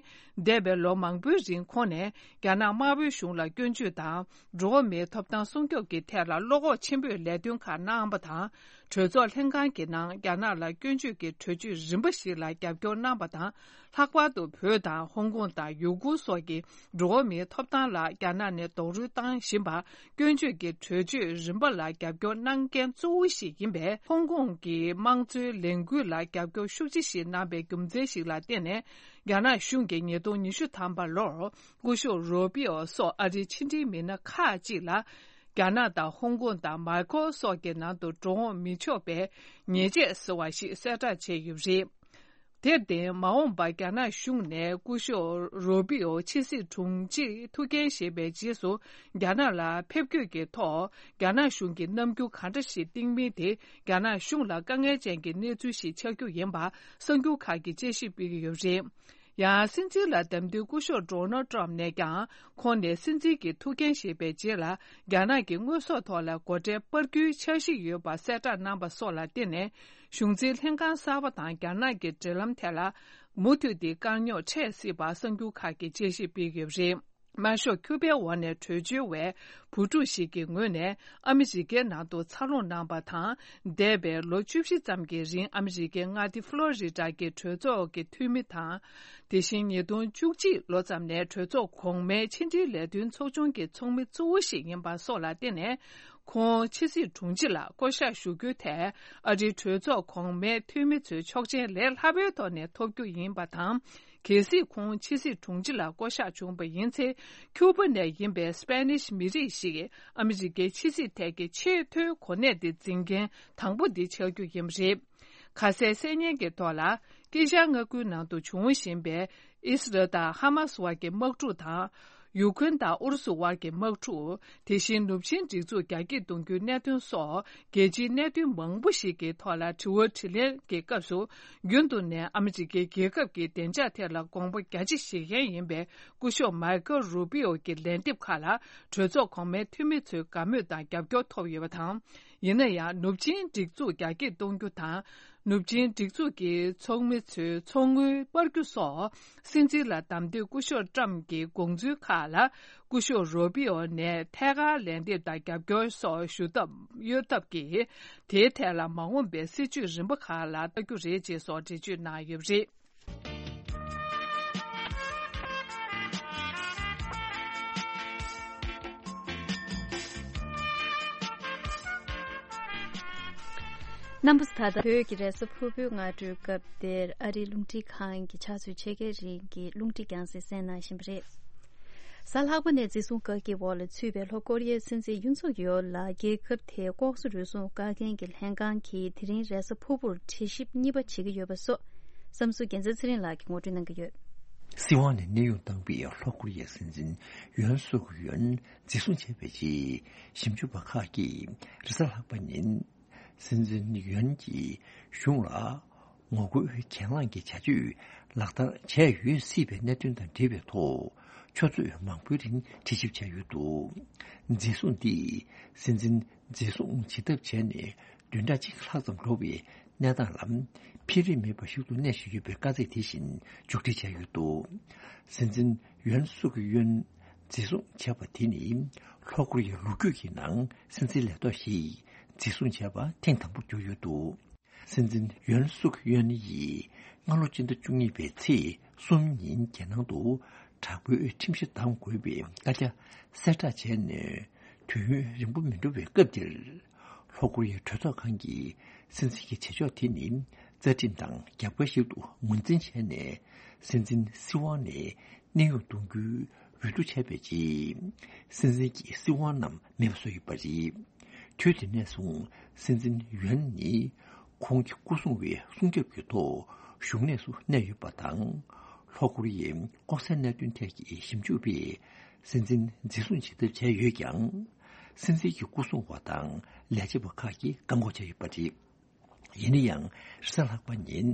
འདས་པའི་ལོ་མང་པོའི་རིང་ཁོང་ནས་རྒྱ་ནག་དམར་པོའི་གཞུང་ལ་སྐྱོན་བརྗོད་དང་། འགྲོ་བ་མིའི་ཐོབ་ཐང་སྲུང་སྐྱོབ་ཀྱི་ཐད་ལ་བློ་ཁོག་ཆེན་པོས་ལས་དོན་ཁག་གནང་བ་དང་། གྲོས་ཚོགས་ལྷན་ཁང་གི་ནང་རྒྱ་ནག་ལ་སྐྱོན་བརྗོད་ཀྱི་གྲོས་ཆོད་རིམ་པ་ཞིག་ལ་རྒྱབ་སྐྱོར་གནང་བ་དང་། ལྷག་པར་དུ་བོད་དང་ཧོང་ཀོང་དང་ཡུ་གུར་སོགས་ཀྱི་འགྲོ་བ་མིའི་ཐོབ་ཐང་ལ་རྒྱ་ནག་ནས་རྡོག་རོལ་བཏང་བཞིན་པར། སྐྱོན་བརྗོད་ཀྱི་གྲོས་ཆོད་རིམ་པ་ལ་རྒྱབ་སྐྱོར་གནང་མཁན་གཙོ་བོ་ཞིག་ཡིན་པས། ཧོང་ཀོང་གི་དམངས་གཙོའི་ལས་འགུལ་ལ་རྒྱབ་སྐྱོར་ཤུགས་ཆེ་ཞིག་གནང་པའི་རྒྱུ་མཚན་ཞིག་ལ་བརྟེན་ནས། རྒྱ་ནག་གཞུང་གིས་ཉིས་སྟོང་ཉི་ཤུ་ཐམ་པ་ལོར་སྐུ་ཞབས་རོ་པི་ཨོ་སོགས་ཨ་རིའི་ཕྱི་འབྲེལ་མི་སྣ་ཁག་ཅིག་ལ། རྒྱ་ནག་དང་ཧོང་ཀོང་དང་མཱ་ཀོ་སོགས་ཀྱི་ནང་དུ་འགྲོ་འོང་མི་ཆོག་པའི་ཉེས་ཆད་ཟེར་བ་ཞིག་གསལ་བསྒྲགས་བྱས་ཡོད་པ་རེད། དེར་བརྟེན། མ་འོངས་པར་རྒྱ་ནག་གཞུང་ནས་སྐུ་ཞབས་རོ་པི་ཨོ་ཕྱི་སྲིད་དྲུང་ཆེ་ཐུགས་འགན་བཞེས་པའི་རྗེས་སུ། རྒྱ་ནག་ལ་ཕེབས་སྐྱོད་ཀྱི་ཐོག་རྒྱ་ནག་གཞུང་གིས་རྣམ་འགྱུར་གང་འདྲ་ཞིག་བསྟན་མིན་དེ། རྒྱ་ནག་གཞུང་ལ་དཀའ་ངལ་ཅན་གྱི་གནས་ཚུལ་ཞིག་ཆགས་རྒྱུ་ཡིན་པ་གསར་འགྱུར་ཁག་གིས་དཔྱད་ཞིབ་སྤེལ་གྱི་ཡོད་པ་རེད། ཡང་། སྲིད་འཛིན་ལ་བདམས་ཐོན་སྐུ་ཞབས་ཌོ་ནལ་ཊམ་ནས་ཀྱང་། ཁོང་ནས་སྲིད་འཛིན་གྱི་ཐུགས་འགན་བཞེས་པའི་རྗེས་ལ། རྒྱ་ནག་གི་དངོས་ཟོག་ཐོག་ལ་སྒོ་ཁྲལ་སྤར་རྒྱུའི་འཆར་གཞི་ཡོད་པ་གསལ་བསྒྲགས་གནང་པ་སོགས་ལ་བརྟེན་ནས། གཞུང་འཛིན་ལྷན་ཁང་གསར་པ་དང་རྒྱ་ནག་གི་འབྲེལ་ལམ་ཐད་ལ། མུ་མཐུད་དེ་དཀའ་རྙོག་འཕྲད་སྲིད་པ་གསར་འགྱུར་ཁག་གིས་དཔྱད་ཞིབ་སྤེལ་ཡོད་པ་རེད། དམར་ཤོག་ཁྱུ་པའི་འོག་ནས་བྲོས་བྱོལ་བའི་བུ་ཕྲུག་ཞིག་གི་ངོས་ནས་ཨ་མི་རི་ཀའི་ནང་དུ་འཚར་ལོངས་གནང་པ་དང་། འདས་པའི་ལོ་བཅུ་བཞི་ཙམ་གྱི་རིང་ཨ་མི་རི་ཀའི་མངའ་སྡེ་ཕློ་རི་ཌ་གི་གྲོས་ཚོགས་ཀྱི་འཐུས་མི་དང་། དེ་བཞིན་ཉིས་སྟོང་བཅུ་གཅིག་ལོ་ཙམ་ནས་གྲོས་ཚོགས་གོང་མའི་ཕྱི་འབྲེལ་ལས་དོན་ཚོགས་ཆུང་གི་ཚོགས་མི་གཙོ་བོ་ཞིག་ཡིན་པ་སོགས་ལ་བརྟེན་ནས། ཁོང་ཕྱི་སྲིད་དྲུང་ཆེ་ལ་བསྐོ་གཞག་ཞུ་རྒྱུའི་ཐད་ཨ་རིའི་གྲོས་ཚོགས་གོང་མའི་འཐུས་མི་ཚོའི་ཆོག་མཆན་ལས་སླ་པོའི་ཐོག་ནས་ཐོབ་རྒྱུ་ཡིན་པ་དང་། གལ་སྲིད་ཁོང་ཕྱི་སྲིད་དྲུང་ཆེ་ལ་བསྐོ་གཞག་བྱུང་བ་ཡིན་ཚེ། ཁྱུ་པ་ནས་ཡིན་པའི་སྤེ་ནིཤ་མི་རིགས་ཤིག་ཨ་མི་རི་ཀའི་ཕྱི་སྲིད་ཐད་ཀྱི་ཆེས་མཐོའི་གོ་གནས་དེ་འཛིན་མཁན་དང་པོ་དེ་ཆགས་རྒྱུ་ཡིན་པ་རེད། ཁ་གསལ་གསན་སྙན་གྱི་ཐོག་ལ། དཀྱིལ་ཤར་མངའ་ཁུལ་ནང་དུ་འབྱུང་བཞིན་པའི་ཨི་སི་རལ་དང་ཧ་མ་སི་དབར་གྱི་དམག་འཁྲུག་དང་། ཡུ་ཁུན་དང་ཨུ་རུ་སུ་དབར་གྱི་དམག་འཁྲུག་དེ་བཞིན་ནུབ་ཆིངས་སྒྲིག་འཛུགས་རྒྱ་སྐྱེད་གཏོང་རྒྱུའི་གནད་དོན་སོགས་རྒྱལ་སྤྱིའི་གནད་དོན་མང་པོ་ཞིག་གི་ཐོག་ལ་དྲི་བ་དྲིས་ལན་གྱི་སྐབས་སུ། རྒྱུན་དུ་ནས་ཨ་མི་རི་ཀའི་རྒྱལ་ཁབ་ཀྱི་བདེ་འཇགས་ཐད་ལ་དགོངས་པ་རྒྱ་ཆེ་བཞེས་མཁན་ཡིན་པའི་སྐུ་ཞབས་མའི་ཁལ་རུ་པི་ཨོ་གྱི་ལན་འདེབས་ཁག་ལ་གྲོས་ཚོགས་གོང་མའི་འཐུས་མི་ཚོའི་དགའ་མོས་དང་རྒྱབ་སྐྱོར་ཐོབ་ཡོད་པ་དང་། ཡིན་ན་ཡང་ནུབ་ཆིངས་སྒྲིག་འཛུགས་རྒྱ་སྐྱེད་གཏོང་རྒྱུ་དང་། ནུབ་ཆིངས་སྒྲིག་འཛུགས་ཀྱི་ཚོགས་མི་ཚོའི་ཚོགས་དངུལ་སྤར་རྒྱུ་སོགས། སྲིད་འཛིན་ལ་བདམས་ཐོན་སྐུ་ཞབས་ཊམ་གྱི་དགོངས་ཚུལ་ཁག་ལ། སྐུ་ཞབས་རུ་པི་ཨོ་ནས་ཐད་ཀར་ལན་འདེབས་དང་རྒྱབ་སྐྱོར་སོགས་ཞུ་ཐབས་གཡོལ་ཐབས་ཀྱིས། དེའི་ཐད་ལ་མ་འོངས་པའི་སྲིད་བྱུས་རིམ་པ་ཁག་ལ་ལྟ་རྒྱུ་རེད་ཅེས་སོགས་འགྲེལ་བརྗོད་གནང་ཡོད་པ་རེད། རྣམ་པ་ཚོ། ད་ལྟ་བོད་ཀྱི་རེས་གཟའ་ཕུར་བུའི་སྔ་དྲོའི་སྐབས་དེར་ཨ་རིའི་རླུང་འཕྲིན་ཁང་གི་ཕྱག་ཚོད་ཕྱེད་ཀའི་རིང་གི་རླུང་འཕྲིན་རྒྱང་སྲིང་གསན་གནང་བཞིན་པ་རེད། གཟའ་ལྷག་པ་ནས་འཛིན་བཟུང་བཀག་སྐྱིལ་འོག་ལ་ཚུད་པའི་ལྷོ་ཀོ་རི་ཡའི་སྲིད་འཛིན་ཡུན་སུག་ཡོལ་ལ་རྒྱལ་ཁབ་དེའི་ལྐོག་ཟ་རུལ་སུངས་བཀག་མཁན་གྱི་ལྷན་ཁང་གིས་དེ་རིང་རེས་གཟའ་ཕུར་བུར་དྲི་ཞིབ་གཉིས་པ་བྱེད་ཀྱི་ཡོད་པ་སོགས་བསམ་ཚུལ་རྒྱལ་མཚན་ཚེ་རིང་ལགས་ཀྱིས་ངོ་སྤྲོད་གནང་གི་ཡོད། སྲིད་དབང་ནས་གནས་དབྱུང་བཏང་བའི་ལྷོ་ཀོ་རི་ཡའི་སྲིད་འཛིན་ཡོན་སུག་ཡོན་འཛིན་བཟུང་བྱས་པའི་རྗེས། ཞིབ་འཇུག་པ་ཁག་གིས་རེས་གཟའ་ལྷག་པ་ཉིན། སྲིད་འཛིན་ཡོན་གྱིས་གཞུང་ལ་ངོ་རྒོལ་གྱེན་ལངས་ཀྱི་བྱ་སྤྱོད་ལག་བསྟར་བྱས་ཡོད་སྲིད་པའི་གནད་དོན་དང་འབྲེལ་བའི་ཐོག་ཆུ་ཚོད་མང་པོའི་རིང་དྲི་ཞིབ་བྱས་ཡོད་འདུག་འཛིན་བཟུང་འདིས་སྲིད་འཛིན་འཛིན་བཟུང་བྱེད་ཐབས་བྱས་ནས་བདུན་ཕྲག་གཅིག་ལྷག་ཙམ་འགྲོ་བའི་གནས་སྟངས་ལ་འཕེལ་རིམ་མེད་པ་ཞིག་ཏུ་གནས་བཞིན་ཡོད་པའི་དཀའ་ཚེགས་དེ་བཞིན་མཇུག་སྒྲིལ་བྱས་ཡོད་འདུག་སྲིད་འཛིན་ཡོན་སུག་ཡོན་འཛིན་བཟུང་བྱས་པ་དེ་ནི་ལྷོ་ཀོ་རི་ཡའི་ལོ་རྒྱུས་ཀྱི་ནང་སྲིད་འཛིན་ལས་ཐོག་ཞིག་འཛིན་བཟུང་བྱས་པ་ཐེངས་དང་པོར་གྱུར་ཡོད་འདུག་སྲིད་འཛིན་ཡོན་སུག་ཡོན་ཡིས་སྔ་ལོ་སྤྱི་ཟླ་བཅུ་གཉིས་པའི་ཚེས་གསུམ་ཉིན་རྒྱལ་ནང་དུ་དྲག་པོའི་ཁྲིམས་གཞི་བསྡམ་དགོས་པའི་བཀའ་རྒྱ་གསལ་བསྒྲགས་བྱས་ནས་དུས་ཡུན་རིང་པོ་མི་འགྲོ་བའི་སྐབས་དེར། ལྷོ་ཀོ་རི་ཡའི་གྲོས་ཚོགས་ཁང་གིས་སྲིད་འཛིན་གྱི་བྱེད་ཕྱོགས་དེ་ནི་རྩ་ཁྲིམས་དང་རྒྱབ་འགལ་ཞིག་ཏུ་ངོས་འཛིན་བྱས་ནས་སྲིད་འཛིན་སྲིད་དབང་ནས་གནས་དབྱུང་གཏོང་རྒྱུའི་འོས་བསྡུ་བྱས་པའི་རྗེས། སྲིད་འཛིན་གྱི་སྲིད་དབང་རྣམས་མེད་པ་བཟོ་ཡོད་པ་རེད། དུས་དེ་ནས་བཟུང་སྲིད་འཛིན་ཡོན་ནི་ཁོང་གི་སྐུ་སྲུང་བའི་སྲུང་སྐྱོབ་ཀྱི་ཐོག་བཞུགས་གནས་སུ་གནས་ཡོད་པ་དང་། ལྷོ་ཀོ་རི་ཡའི་ལྐོག་ཟའི་གནད་དོན་ཐད་ཀྱི་ཞིབ་འཇུག་པས་སྲིད་འཛིན་འཛིན་བཟུང་བྱེད་ཐབས་བྱས་ཡོད་ཀྱང་། སྲིད་འཛིན་གྱི་སྐུ་སྲུང་བ་དང་ལས་བྱེད་པ་ཁག་གིས་བཀག་འགོག་བྱས་ཡོད་པ་རེད། ཡིན་ན་ཡང་རེས་གཟའ་ལྷག་པ་ཉིན།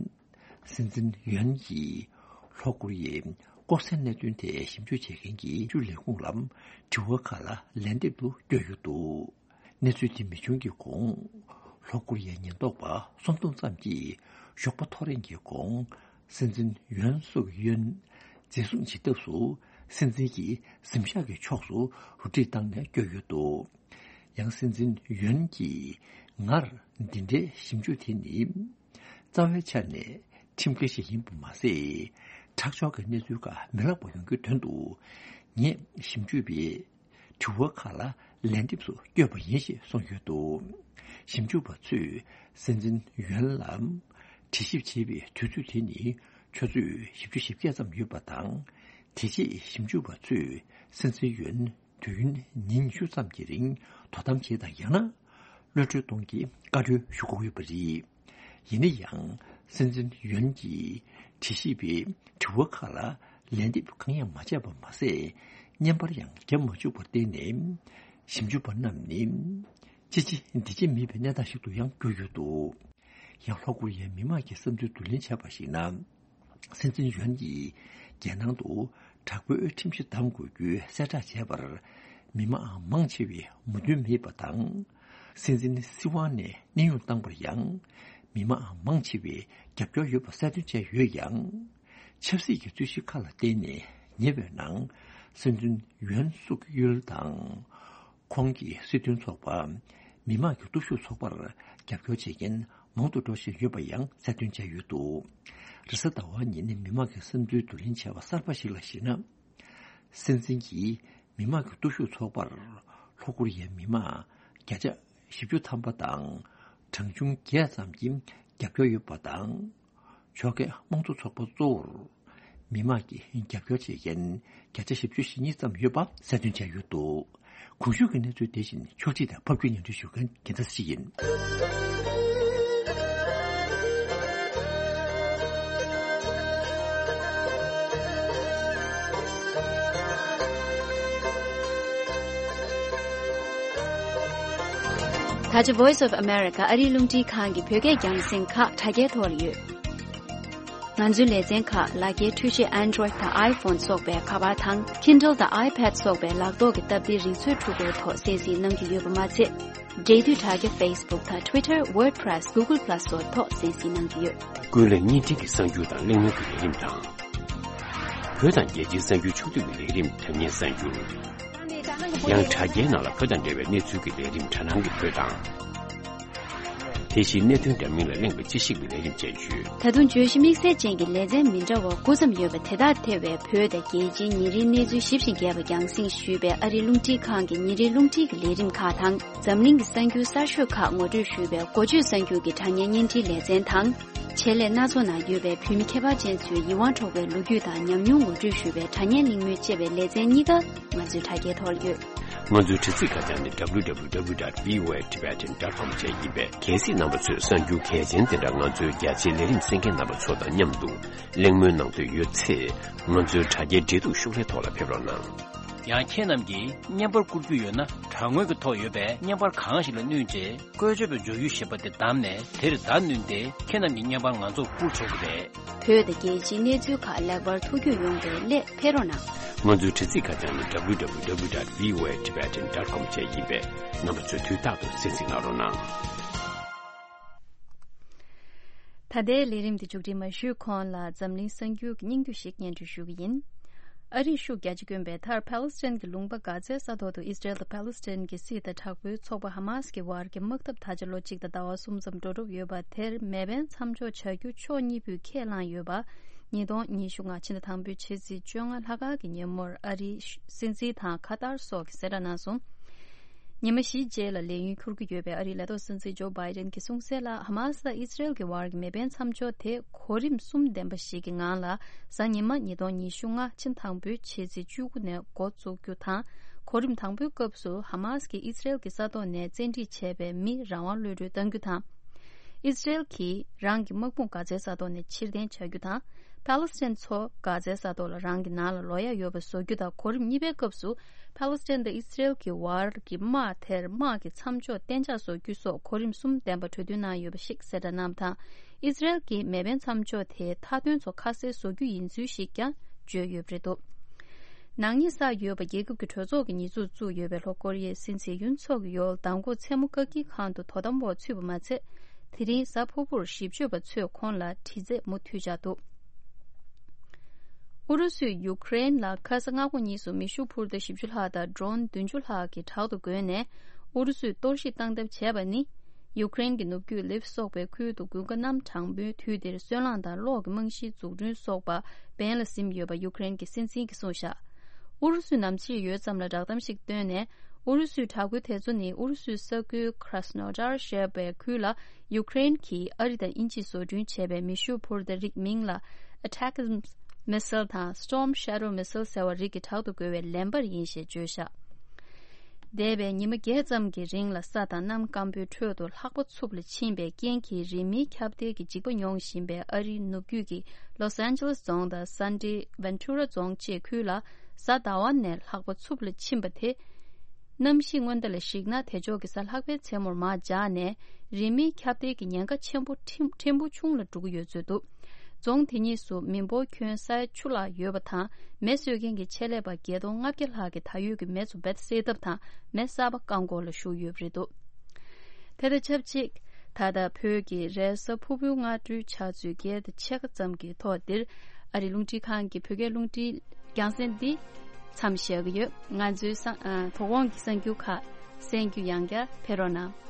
སྲིད་འཛིན་ཡོན་གྱིས་ལྷོ་ཀོ་རི་ཡའི་ལྐོག་ཟའི་གནད་དོན་ཐད་ཞིབ་འཇུག་བྱེད་མཁན་གྱི་ཞིབ་འཇུག་ལས་ཁུངས་ལ་དྲི་བ་ཁག་ལ་ལན་འདེབས་དུ་བསྐྱོད་ཡོད་འདུག་གནས་ཚུལ་དེ་མི་བྱུང་གི་གོང་། ལྷོ་ཀོ་རི་ཡའི་ཉེན་རྟོག་པ་སུམ་སྟོང་ཙམ་གྱིས་ཞོགས་པ་ཐོ་རེངས་ཀྱི་གོང་། སྲིད་འཛིན་ཡོན་སུག་ཡོན་འཛིན་བཟུང་བྱེད་ཐབས་སུ་སྲིད་འཛིན་གྱི་གཟིམ་ཤག་གི་ཕྱོགས་སུ་རུ་སྒྲིག་བཏང་ནས་བསྐྱོད་ཡོད་འདུག་ཡང་སྲིད་འཛིན་ཡོན་གྱིས་ངར་འདི་འདྲའི་ཞིབ་འཇུག་དེ་ནི་རྩ་བའི་ཆ་ནས་ཁྲིམས་འགལ་ཞིག་ཡིན་པ་མ་ཟད། ཁྲག་སྦྱོར་གྱི་གནས་ཚུལ་ཁག་མི་ལེགས་པ་ཡོང་རྒྱུའི་དོན་དུ་ངས་ཞིབ་འཇུག་པའི་དྲི་བ་ཁག་ལ་ལན་འདེབས་སུ་བསྐྱོད་པ་ཡིན་ཞེས་གསུངས་ཡོད་འདུག་ཞིབ་འཇུག་པ་ཚོས་སྲིད་འཛིན་ཡོན་ལ་དྲི་ཞིབ་བྱེད་པའི་དུས་ཚོད་དེ་ནི་ཆུ་ཚོད་བཞི་བཅུ་ཞེ་བརྒྱད་ཙམ་ཡོད་པ་དང་། དེ་རྗེས་ཞིབ་འཇུག་པ་ཚོས་སྲིད་འཛིན་ཡོན་དུས་ཡུན་ཉིན་ཉི་ཤུ་ཙམ་གྱི་རིང་དོ་དམ་བྱས་དང་། ཡང་ན་གློད་གྲོལ་གཏོང་གི་བཀའ་འཁྲོལ་ཞུ་དགོས་ཡོད་པ་རེད། ཡིན་ན་ཡང་སྲིད་འཛིན་ཡོན་གྱིས་དྲི་ཞིབ་པའི་དྲི་བ་ཁག་ལ་ལན་འདེབས་གང་ཡང་མ་བྱས་པ་མ་ཟད། བརྙན་པར་ཡང་བརྒྱབ་མ་བཅུག་པར་བརྟེན་ནས་ཞིབ་འཇུག་པ་རྣམས་ནི་ཅི་བྱེད་འདི་བྱེད་མེད་པའི་གནས་སྟངས་ཤིག་ཏུ་ཡང་གྱུར་ཡོད་འདུག་ཡང་ལྷོ་ཀོ་རི་ཡའི་མི་མང་གི་བསམ་ཚུལ་བསྡུ་ལེན་བྱས་པར་གཞིགས་ན། སྲིད་འཛིན་ཡོན་གྱིས་རྒྱལ་ནང་དུ་དྲག་པོའི་ཁྲིམས་གཞི་བསྡམ་དགོས་རྒྱུའི་གསལ་བསྒྲགས་བྱས་པར་མི་མང་མང་ཆེ་བས་མོས་མཐུན་མེད་པ་དང་། སྲིད་འཛིན་སྲིད་དབང་ནས་གནས་དབྱུང་བཏང་པར་ཡང་མི་མང་མང་ཆེ་བས་རྒྱབ་སྐྱོར་ཡོད་པ་གསལ་སྟོན་བྱས་ཡོད་ཀྱང་། ཆབ་སྲིད་ཀྱི་རྩོད་གཞི་ཁག་ལ་བརྟེན་ནས་ཉེ་བའི་ནང་ སྲིད་འཛིན་ཡོན་སུག་ཡུལ་དང་། ཁོང་གི་སྲིད་དོན་ཚོགས་པ། མི་དམངས་ཀྱི་སྟོབས་ཤུགས་ཚོགས་པར་རྒྱབ་སྐྱོར་བྱེད་མཁན་མང་དུ་འགྲོ་བཞིན་ཡོད་པ་ཡང་གསལ་སྟོན་བྱས་ཡོད་འདུག་རེས་གཟའ་ཟླ་བ་ཉིན་མི་དམངས་ཀྱི་བསམ་ཚུལ་བསྡུ་ལེན་བྱས་པ་གསར་པ་ཞིག་ལ་གཞིགས་ན། སྲིད་འཛིན་གྱིས་མི་དམངས་ཀྱི་སྟོབས་ཤུགས་ཚོགས་པར་ལྷོ་ཀོ་རི་ཡའི་མི་དམངས་བརྒྱ་ཆ་བཞི་བཅུ་ཐམ་པ་དང་། གྲངས་ཆུང་བརྒྱད་ཙམ་གྱིས་རྒྱབ་སྐྱོར་ཡོད་པ་དང་། ཕྱོགས་འགལ་དམངས་གཙོ་ཚོགས་པ་གཙོ་བོར་མི་དམངས་ཀྱིས་རྒྱབ་སྐྱོར་བྱེད་མཁན་བརྒྱ་ཆ་བཞི་བཅུ་ཞེ་གཉིས་ཙམ་ཡོད་པ་གསལ་སྟོན་བྱས་ཡོད་འདུག་གོང་ཞུས་ཀྱི་གནས་ཚུལ་དེ་བཞིན་ཕྱོགས་སྒྲིག་དང་ཕབ་སྒྱུར་སྙན་སྒྲོན་ཞུ་མཁན་རྒྱལ་མཚན་ཡིན། ད་ཆ་Voice of America ཨ་རིའི་རླུང་འཕྲིན་ཁང་གི་བོད་སྐད་རྒྱང་སྲིང་ཁག་དྲ་རྒྱའི་ཐོག་ལ་ཡོད། ང་ཚོའི་ལེ་ཚན་ཁག་ལག་འཁྱེར་འཕྲུལ་ཆས་Android་དང་iPhone་སོགས་པའི་ཁ་པར་དང་Kindle་དང་iPad་སོགས་པའི་ལག་ཐོག་གི་སྟབས་བདེའི་རིག་མཛོད་འཕྲུལ་འཁོར་ཐོག་གསན་གཟིགས་གནང་གི་ཡོད་པ་མ་ཚད། འབྲེལ་མཐུད་དྲ་རྒྱ་Facebook་དང་Twitter, WordPress, Google Plus་སོགས་ཐོག་གསན་གཟིགས་གནང་གི་ཡོད། ཀུན་གླེང་བརྙན་འཕྲིན་གྱི་གསར་འགྱུར་དང་གླེང་མོལ་གྱི་ལས་རིམ་དང་། བོད་དང་རྒྱལ་སྤྱིའི་གསར་འགྱུར་ཕྱོགས་བསྡུས་ཀྱི་ལས་རིམ་དྲ་བརྙན་གསར་འགྱུར། ཡང་དྲ་རྒྱའི་ནང་ལ་བོད་དང་འབྲེལ་བའི་གནས་ཚུལ་གྱི་ལས་རིམ་དྲ་སྣང་གི་བོད་དང་། དེ་བཞིན་གནད་དོན་འདྲ་མིན་ལ་གླེང་བའི་དཔྱད་ཞིབ་ཀྱི་ལས་རིམ་བཅས་ཡོད། ད་དུང་བརྗོད་གཞི་དམིགས་བསལ་ཅན་གྱི་ལེ་ཚན་མི་འདྲ་བ་དགུ་ཙམ་ཡོད་པ་དེ་དག་ཐེ་བའི་བོད་དང་རྒྱལ་སྤྱིའི་ཉིན་རེའི་གནས་ཚུལ་ཞིབ་ཅིང་རྒྱས་པ་རྒྱང་སྲིང་ཞུས་པའི་ཨ་རིའི་རླུང་འཕྲིན་ཁང་གི་ཉིན་རེའི་རླུང་འཕྲིན་གྱི་ལས་རིམ་ཁག་དང་། འཛམ་གླིང་གི་གསར་འགྱུར་གསར་ཤོས་ཁག་ངོ་སྤྲོད་ཞུས་པའི་འགོ་བརྗོད་གསར་འགྱུར་གྱི་དྲ་བརྙན་བརྙན་འཕྲིན་ལེ་ཚན་དང་། ཆེད་ལས་སྣ་ཚོགས་ནང་ཡོད་པའི་བོད་མི་ཁྱད་པར་ཅན་ཚོའི་ཡིད་དབང་འཕྲོག་པའི་ལོ་རྒྱུས་དང་ཉམས་མྱོང་ངོ་སྤྲོད་ཞུས་པའི་དྲ་བརྙན་གླེང་མོལ་བཅས་པའི་ལེ་ཚན་གཉིས་ཀ་ང་ཚོའི་དྲ་རྒྱའི་ཐོག་ལ་ཡོད། ང་ཚོའི་དྲ་ཚིགས་ཁ་བྱང་ནི་W W W dot V O A Tibetan dot com བཅས་ཡིན་པས། གལ་སྲིད་རྣམ་པ་ཚོས་གསར་འགྱུར་གལ་ཆེན་དེ་འདྲ་ང་ཚོའི་རྒྱ་ཆེའི་ལས་རིམ་གསན་མཁན་རྣམ་པ་ཚོ་དང་མཉམ་དུ་གླེང་མོལ་གནང་འདོད་ཡོད་ཚེ། ང་ཚོའི་དྲ་རྒྱའི་འབྲེལ་གཏུག་ཤོག་ལྷེ་ཐོག་ལ་ཕེབས་རོགས་གནང་། ཡང་ཁྱེད་རྣམས་ཀྱིས་བརྙན་པར་བསྐུར་རྒྱུ་ཡོད་ན། དྲ་ངོས་ཀྱི་ཐོག་ཡོད་པའི་བརྙན་པར་གང་ཞིག་ལ་བསྣུན་རྗེས། བཀོལ་སྤྱོད་པའི་མཇུག་ཡུ་ཞེས་པ་དེ་བདམས་ནས། དེར་བརྡ་བསྣུན་ཏེ། ཁྱེད་རྣམས་ཀྱི་བརྙན་པར་ང་ཚོར་བསྐུར་ཆོག་གི་རེད། བོད་དང་རྒྱལ་སྤྱིའི་གནས་ཚུལ་ཁག་ལེགས་པར་ཐུགས་རྒྱུས་ཡོང་བའི་སླད་ཕེབས་རོགས་གནང་། ང་ཚོའི་དྲ་ཚིགས་ཁ་བྱང་ནི་W W W dot V O A Tibetan dot com བཅས་ཡིན་པས། རྣམ་པ་ཚོས་དུས་རྟག་ཏུ་གསན་གཟིགས་གནང་རོགས་གནང་། ད་ལྟའི་ལས་རིམ་འདི་མཇུག་སྒྲིལ་མ་ཞུས་གོང་ལ་འཛམ་གླིང་གསར་འགྱུར་གྱི་སྙིང་བསྡུས་ཤིག་སྙན་སྒྲོན་ཞུ་གི་ཡིན། ཨ་རིས་ཤུགས་རྒྱ་ཆེ་བསྐྱོན་པའི་མཐར་ཕཱ་ལེ་སི་ཐན་གྱི་ལུང་པ་གྷ་ཛའི་ས་ཐོག་ཏུ་ཨིས་ར་ཨེལ་དང་ཕཱ་ལེ་སི་ཐན་གྱི་སྲིད་དང་དྲག་པོའི་ཚོགས་པ་ཧ་མ་སི་ཀྱི་བར་གྱི་དམག་འཐབ་ད་ཆ་ལོ་གཅིག་དང་ཟླ་བ་གསུམ་ཙམ་འགྲོ་གྲབས་ཡོད་པ་དེར་མེ་འཕེན་མཚམས་འཇོག་བྱ་རྒྱུ་ཕྱོགས་གཉིས་པོས་ཁས་བླངས་ཡོད་པ། ཉིས་སྟོང་ཉི་ཤུ་ལྔ་ཕྱི་ཟླ་དང་པོའི་ཕྱི་ཚེས་བཅོ་ལྔ་ལྷག་དཀར་གྱི་ཉིན་མོར་ཨ་རིའི་སྲིད་འཛིན་དང་ཁ་ཏར་སོགས་ཀྱིས་གསལ་བསྒྲགས་གནང་སོང་། ཉི་མ་བཞི་རྗེས་ལ་ལས་ཡུན་འཁྱོལ་གྱི་ཡོད་པའི་ཨ་རིའི་ལས་ཐོག་སྲིད་འཛིན་ཇོ་བྷའི་ཌེན་གྱིས་གསུངས་གསལ་ལ། ཧ་མ་སི་དང་ཨི་སི་རེལ་གྱི་བར་གྱི་མེ་འཕེན་མཚམས་འཇོག་དེ་གོ་རིམ་གསུམ་ལྡན་པ་ཞིག་གི་ངང་ལ་གཟའ་ཉི་མ་ཉིས་སྟོང་ཉི་ཤུ་ལྔ་ཕྱི་ཟླ་དང་པོའི་ཕྱི་ཚེས་བཅུ་དགུ་ནས་འགོ་བཙུགས་རྒྱུ་དང་། གོ་རིམ་དང་པོའི་སྐབས་སུ་ཧ་མ་སི་ཀྱིས་ཨི་སི་རེལ་གྱི་ས་ཐོག་ནས་བཙན་ཁྲིད་བྱས་པའི་མི་རང་དབང་གློད་གྲོལ་གཏང་རྒྱུ་དང་། ཨི་སི་རེལ་གྱིས་རང་གི་དམག་དཔུང་གྷ་ཛའི་ས་ཐོག་ནས་ཕྱིར་འཐེན་བྱ་རྒྱུ་དང་། ཕཱ་ལེ་སི་ཐན་ཚོ་གྷ་ཛའི་ས་ཐོག་ལ་རང་གི་ནང་ལ་ལོག་ཡ་ཡོད་པ་བཟོ་རྒྱུ་དང་། གོ་རིམ་གཉིས་པའི་སྐབས་སུ་ཕཱ་ལེ་སི་ཐན་དང་ཨི་སི་རེལ་གྱི་བར་གྱི་དམག་དེར་དམག་གི་མཚམས་འཇོག་གཏན་འཇགས་བཟོ་རྒྱུ་སོགས་གོ་རིམ་གསུམ་ལྡན་པ་གྲོས་མཐུན་གནང་ཡོད་པ་ཞིག་གསལ་བསྒྲགས་གནང་བ་དང་། ཨི་སི་རེལ་གྱིས་མེ་འཕེན་མཚམས་འཇོག་དེའི་མཐའ་དོན་ཚོ་ཁ་གསལ་བཟོ་རྒྱུ་ཡིན་ཚུལ་ཞིག་ཀྱང་བརྗོད་ཡོད་པ་རེད་འདུག་ནག་ཉེས་བསགས་ཡོད་པ་རྒྱལ་ཁབ་ཀྱི་གྲོས་ཚོགས་ཀྱི་ཉེས་འཛུགས་བཙུགས་ཡོད་པའི་ལྷོ་ཀོ་རི་ཡའི་སྲིད་འཛིན་ཡུན་སུག་ཡོལ་མདང་དགོང་མཚན་མོ་བཀག་སྐྱིལ་ཁང་དུ་དོ་དམ་འོག་ཚུད་པ་མ་ཚད། དེ་རིང་གཟའ་ཕུར་བུར་ཞིབ་དཔྱོད་པ་ཚོས་ཁོང་ལ་དྲི་རྩད་མུ་མཐུད་བཅག་འདུག་ཨུ་རུ་སུས་ཡུ་ཀེ་རེན་ལ་ཁ་ས་སྔ་དགོང་གཉིས་སུ་མེ་ཤུགས་འཕུར་མདའ་བཞི་བཅུ་ལྷག་དང་ཌོ་རོན་བདུན་ཅུ་ལྷག་གི་དྲག་ཏུ་བརྒོལ་ནས། ཨུ་རུ་སུས་གཏོར་བཤིག་བཏང་ཐབས་བྱས་པ་ནི། ཡུ་ཀེ་རེན་གྱི་ནུབ་རྒྱུད་ལིབ་སོགས་པའི་ཁུལ་དུ་དགུན་ཁ་གནམ་གྲང་མོའི་དུས་འདིར་སོལ་རླངས་དང་གློག་གི་རྨང་གཞིའི་འཛུགས་སྐྲུན་སོགས་པ་འབེན་ལ་ཟིན་ཡོད་པ་ཡུ་ཀེ་རེན་གྱི་སྲིད་འཛིན་གྱིས་གསུངས་བཞག་ཨུ་རུ་སུས་ནམ་ཕྱེད་ཡོལ་ཙམ་ལ་བསྒྲགས་གཏམ་ཞིག་བཏོན་ནས། ཨུ་རུ་སུའི་དྲག་རྒོལ་དེ་ཚོ་ནི་ཨུ་རུ་སུའི་ས་ཁུལ་Krasnodar་ཞེས་པའི་ཁུལ་ལ་ཡུ་ཀེ་རེན་གྱིས་ཨ་རི་དང་དབྱིན་ཇིས་བཟོ་སྐྲུན་བྱས་པའི་མེ་ཤུགས་འཕུར་མདའ་རིགས་མིང་ལ་Atacms missile་དང་Storm Shadow missile་ཟེར་བ་རིགས་ཀྱི་དྲག་ཏུ་རྒོལ་བའི་ལན་པར་ཡིན་ཞེས་བརྗོད་བཞག་འདས་པའི་ཉི་མ་བརྒྱད་ཙམ་གྱི་རིང་ལ་ས་དང་གནམ་སྐམ་པོའི་ཁྲོད་དུ་ལྷགས་པ་འཚུབ་ལ་ཕྱིན་པའི་རྐྱེན་གྱིས་རི་མེའི་ཁྱབ་གདལ་གྱི་འཇིགས་པ་མྱོང་བཞིན་པའི་ཨ་རིའི་ནུབ་རྒྱུད་ཀྱི་Los Angeles་རྫོང་དང་Santa Ventura་རྫོང་བཅས་ཁུལ་ལ་གཟའ་ཟླ་བ་ནས་ལྷགས་པ་འཚུབ་ལ་ཕྱིན་པ་དེ། གནམ་གཤིས་སྔོན་བརྡ་ལ་གཞིགས་ན། དེ་ཕྱོགས་ཀྱི་གཟའ་ལྷག་པའི་མཚན་མོར་མར་འཇགས་ནས། རི་མེའི་ཁྱབ་གདལ་གྱི་ཉེན་ཁ་ཆེན་པོ་ཕྲན་ཕྲན་བུ་ཆུང་ལ་འགྲོ་གི་ཡོད་ཚོད་འདུག་རྫོང་དེ་གཉིས་སུ་མི་འབོར་ཁྱོན་ས་ཡ་བཅུ་ལྷག་ཡོད་པ་དང་། མེ་གསོད་མཁན་གྱི་ཆེད་ལས་པ་བརྒྱད་སྟོང་ལྔ་བརྒྱ་ལྷག་གིས་ད་ཡོད་ཀྱི་མེ་ཚོ་རྦད་དེ་སེལ་ཐབས་དང་། མེ་གསར་པ་བཀག་འགོག་ལ་ཞུགས་ཡོད་པ་རེད་འདུག་དེ་དང་ཆབས་ཅིག་ད་ལྟ་བོད་ཀྱི་རེས་གཟའ་ཕུར་བུའི་སྔ་དྲོའི་ཆུ་ཚོད་བརྒྱད་དང་ཕྱེད་ཀ་ཙམ་གྱི་ཐོག་འདིར། ཨ་རིའི་རླུང་འཕྲིན་ཁང་གི་བོད་སྐད་རླུང་འཕྲིན་རྒྱང་སྲིང་འདི། མཚམས་བཞག་གི་ཡོད། ང་ཚོའི་གསར་ཨ་དོ་དགོང་གི་གསར་འགྱུར་ཁག་གསན་རྒྱུ་ཡང་བསྐྱར་ཕེབས་རོགས་གནང་།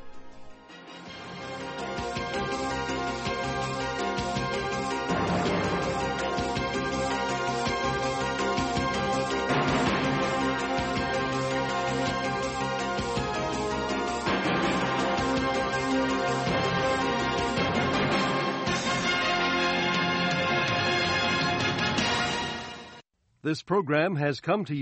This program has come to you